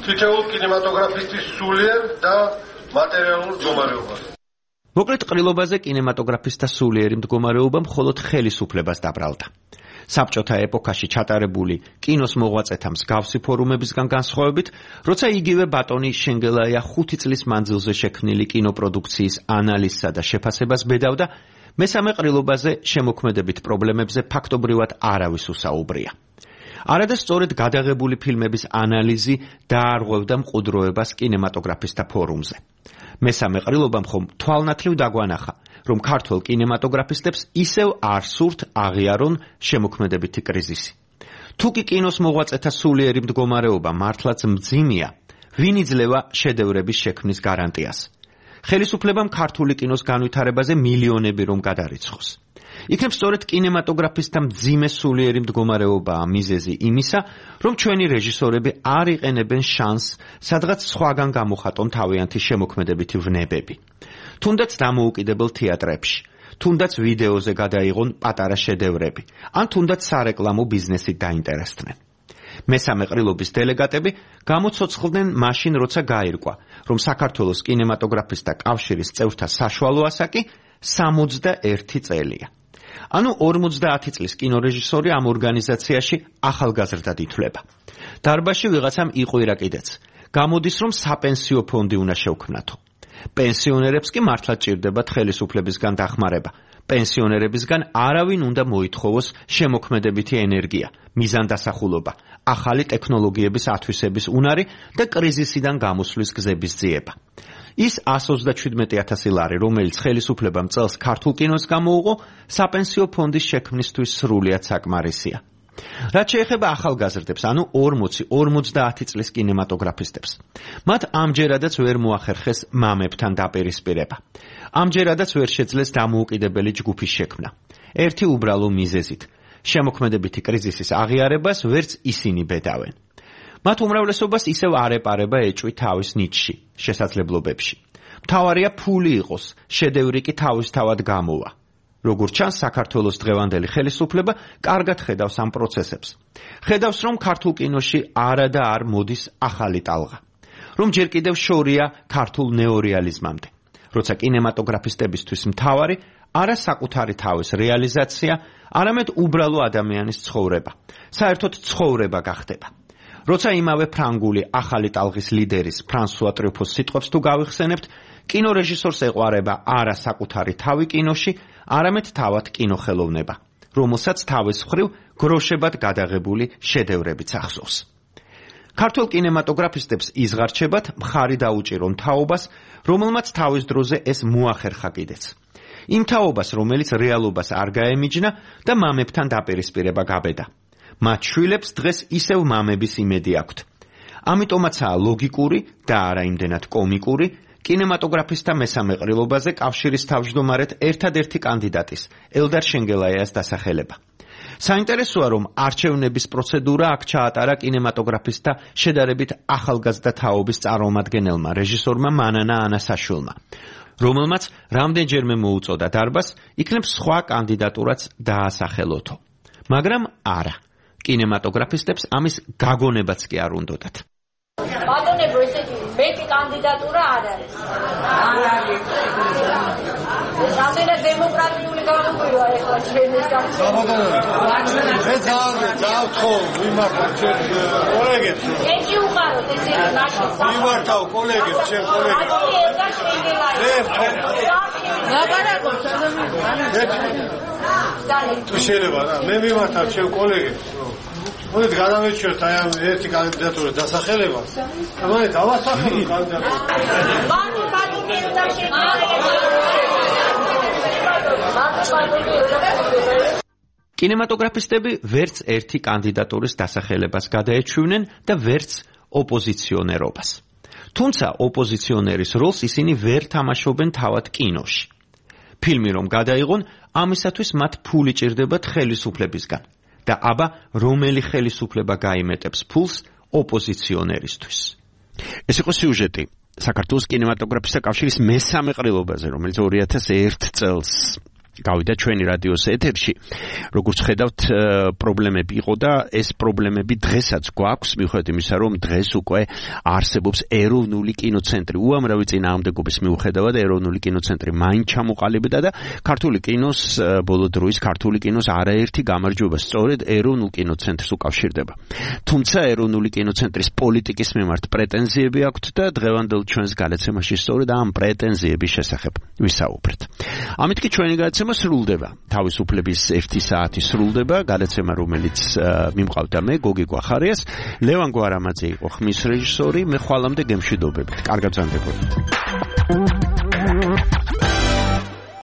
თითოეულ კინემატოგრაფისტის სულიერ და მატერიალურ მდგომარეობას. მოკლედ ყრილობაზე კინემატოგრაფისტთა სულიერი მდგომარეობა მხოლოდ ხელისუფლებას დაბრალდა. საბჭოთა ეპოქაში ჩატარებული კინოს მოღვაწეთა მსგავსი ფორუმებისგან განსხვავებით, როცა იგივე ბატონი შენგელაია ხუთი წლის მანძილზე შექმნილი კინოპროდუქციის ანალიზსა და შეფასებას ბედავდა, მესამე ყრილობაზე შემოქმედებით პრობლემებზე ფაქტობრივად არავის უსაუბრია. არადა სწორედ გადაღებული ფილმების ანალიზი დაარღვევდა მყუდროებას კინემატოგრაფისტთა ფორუმზე. მესამე ყრილობამ ხომ თვალნათლივ დაგვანახა, რომ ქართველ კინემატოგრაფისტებს ისევ არ სურთ აღიარონ შემოქმედებითი კრიზისი. თუ კი კინოს მოღვაწეთა სულიერი მდგომარეობა მართლაც მძიმეა, ვინ იძლევა შედევრების შექმნის გარანტიას? ხელისუფლებამ ქართული კინოს განვითარებაზე მილიონები რომ გადარიცხოს. იქნებ სწორედ კინემატოგრაფისტთა მძიმე სულიერი მდგომარეობაა მიზეზი იმისა, რომ ჩვენი რეჟისორები არ იყენებენ შანსს, სადღაც სხვაგან გამოხატონ თავიანთი შემოქმედებითი ვნებები. თუნდაც დამოუკიდებელ თეატრებში, თუნდაც ვიდეოზე გადაიღონ პატარა შედევრები, ან თუნდაც სარეკლამო ბიზნესით დაინტერესდნენ. მესამე ყრილობის დელეგატები გამოცოცხლდნენ მაშინ, როცა გაირკვა, რომ საქართველოს კინემატოგრაფისტთა კავშირის წევრთა საშუალო ასაკი სამოცდაერთი წელია. ანუ ორმოცდაათი წლის კინორეჟისორი ამ ორგანიზაციაში ახალგაზრდად ითვლება. დარბაზში ვიღაცამ იყვირა კიდეც. გამოდის, რომ საპენსიო ფონდი უნდა შევქმნათო. პენსიონერებს კი მართლაც ჭირდებათ ხელისუფლებისგან დახმარება. პენსიონერებისგან არავინ უნდა მოითხოვოს შემოქმედებითი ენერგია, მიზანდასახულობა, ახალი ტექნოლოგიების ათვისების უნარი და კრიზისიდან გამოსვლის გზების ძიება. ის ას ოცდაშვიდმეტი ათასი ლარი, რომელიც ხელისუფლებამ წელს ქართულ კინოს გამოუღო, საპენსიო ფონდის შექმნისთვის სრულიად საკმარისია. რაც შეეხება ახალგაზრდებს, ანუ ორმოცი ორმოცდაათი წლის კინემატოგრაფისტებს, მათ ამჯერადაც ვერ მოახერხეს მამებთან დაპირისპირება. ამჯერადაც ვერ შეძლეს დამოუკიდებელი ჯგუფის შექმნა. ერთი უბრალო მიზეზით, შემოქმედებითი კრიზისის აღიარებას ვერც ისინი ბედავენ. მათ უმრავლესობას ისევ არ ეპარება ეჭვი თავის ნიჭში, შესაძლებლობებში. მთავარია ფული იყოს, შედევრი კი თავისთავად გამოვა. როგორც ჩანს, საქართველოს დღევანდელი ხელისუფლება კარგად ხედავს ამ პროცესებს. ხედავს, რომ ქართულ კინოში არა და არ მოდის ახალი ტალღა. რომ ჯერ კიდევ შორია ქართულ ნეორეალიზმამდე. როცა კინემატოგრაფისტებისთვის მთავარი არა საკუთარი თავის რეალიზაცია, არამედ უბრალო ადამიანის ცხოვრება. საერთოდ ცხოვრება გახდება. როცა იმავე ფრანგული ახალი ტალღის ლიდერის ფრანსუა ტრიუფოს სიტყვებს თუ გავიხსენებთ, კინორეჟისორს ეყვარება არა საკუთარი თავი კინოში, არამედ თავად კინოხელოვნება, რომელსაც თავის მხრივ გროშებად გადაღებული შედევრებიც ახსოვს. ქართულ კინემატოგრაფისტებს იზღარჩებათ მხარი დაუჭირონ თაობას, რომელმაც თავის დროზე ეს მოახერხა კიდეც. იმ თაობას, რომელიც რეალობას არ გაემიჯნა და მამებთან დაპირისპირება გაბედა. მათ შვილებს დღეს ისევ მამების იმედი აქვთ. ამიტომაცაა ლოგიკური და არა იმდენად კომიკური კინემატოგრაფისტთა მესამე ყრილობაზე კავშირის თავმჯდომარედ ერთადერთი კანდიდატის, ელდარ შენგელაიას დასახელება. საინტერესოა, რომ არჩევნების პროცედურა აქ ჩაატარა კინემატოგრაფისტთა შედარებით ახალგაზრდა თაობის წარმომადგენელმა, რეჟისორმა მანანა ანასაშვილმა, რომელმაც რამდენჯერმე მოუწოდა დარბაზს, იქნებ სხვა კანდიდატურაც დაასახელოთო. მაგრამ არა. კინემატოგრაფისტებს ამის გაგონებაც კი არ უნდოდათ. ბატონებო, ესეთი მეტი კანდიდატურა არ არის. არ არის. რამდენად დემოკრატიული გამოგვივა ეხლა ჩვენი საქართველოს. მე ძალიან ძალიან ხო ვიმართავ ჩვენ კოლეგებს. ეჭი უყაროთ ესეთი მაშინ. ვიმართავ კოლეგებს, ჩვენ კოლეგებს. აი ეს შეგელაი. ლაპარაკობს ადამიანი. თუ შეიძლება რა, მე ვიმართავ ჩვენ კოლეგებს. მოდით გადავეჩვენოთ აი ამ ერთი კანდიდატურის დასახელებას. მოდით დავასახელოთ კანდიდატურას. ბატონო, ბატონო, და შეგიძლიათ. კინემატოგრაფისტები ვერც ერთი კანდიდატურის დასახელებას გადაეჩვენენ და ვერც ოპოზიციონერობას. თუმცა ოპოზიციონერის როლს ისინი ვერ თამაშობენ თავად კინოში. ფილმი რომ გადაიღონ, ამისათვის მათ ფული ჭირდებათ ხელისუფლებისგან. და აბა რომელი ხელისუფლება გაიმეტებს ფულს ოპოზიციონერისთვის. ეს იყო სიუჟეტი საქართველოს კინემატოგრაფისტთა კავშირის მესამე ყრილობაზე, რომელიც ორი ათას ერთ წელს გავიდა ჩვენი რადიოს ეთერში. როგორც ხედავთ, პრობლემები იყო და ეს პრობლემები დღესაც გვაქვს, მიუხედავად იმისა, რომ დღეს უკვე არსებობს ეროვნული კინოცენტრი. უამრავი წინააღმდეგობის მიუხედავად ეროვნული კინოცენტრი მაინც ჩამოყალიბდა და ქართული კინოს ბოლო დროის ქართული კინოს არაერთი გამარჯვება სწორედ ეროვნულ კინოცენტრს უკავშირდება. თუმცა ეროვნული კინოცენტრის პოლიტიკის მიმართ პრეტენზიები აქვთ და დღევანდელ ჩვენს გადაცემაში სწორედ ამ პრეტენზიების შესახებ ვისაუბრეთ. ამით კი ჩვენი გადაცემა სრულდება. თავისუფლების ერთი საათი სრულდება, გადაცემა რომელიც მიმყავდა მე გოგი გვახარიას, ლევან გვარამაძე იყო ხმის რეჟისორი, მე ხვალამდე გემშვიდობებით. კარგად ბრძანდებოდეთ.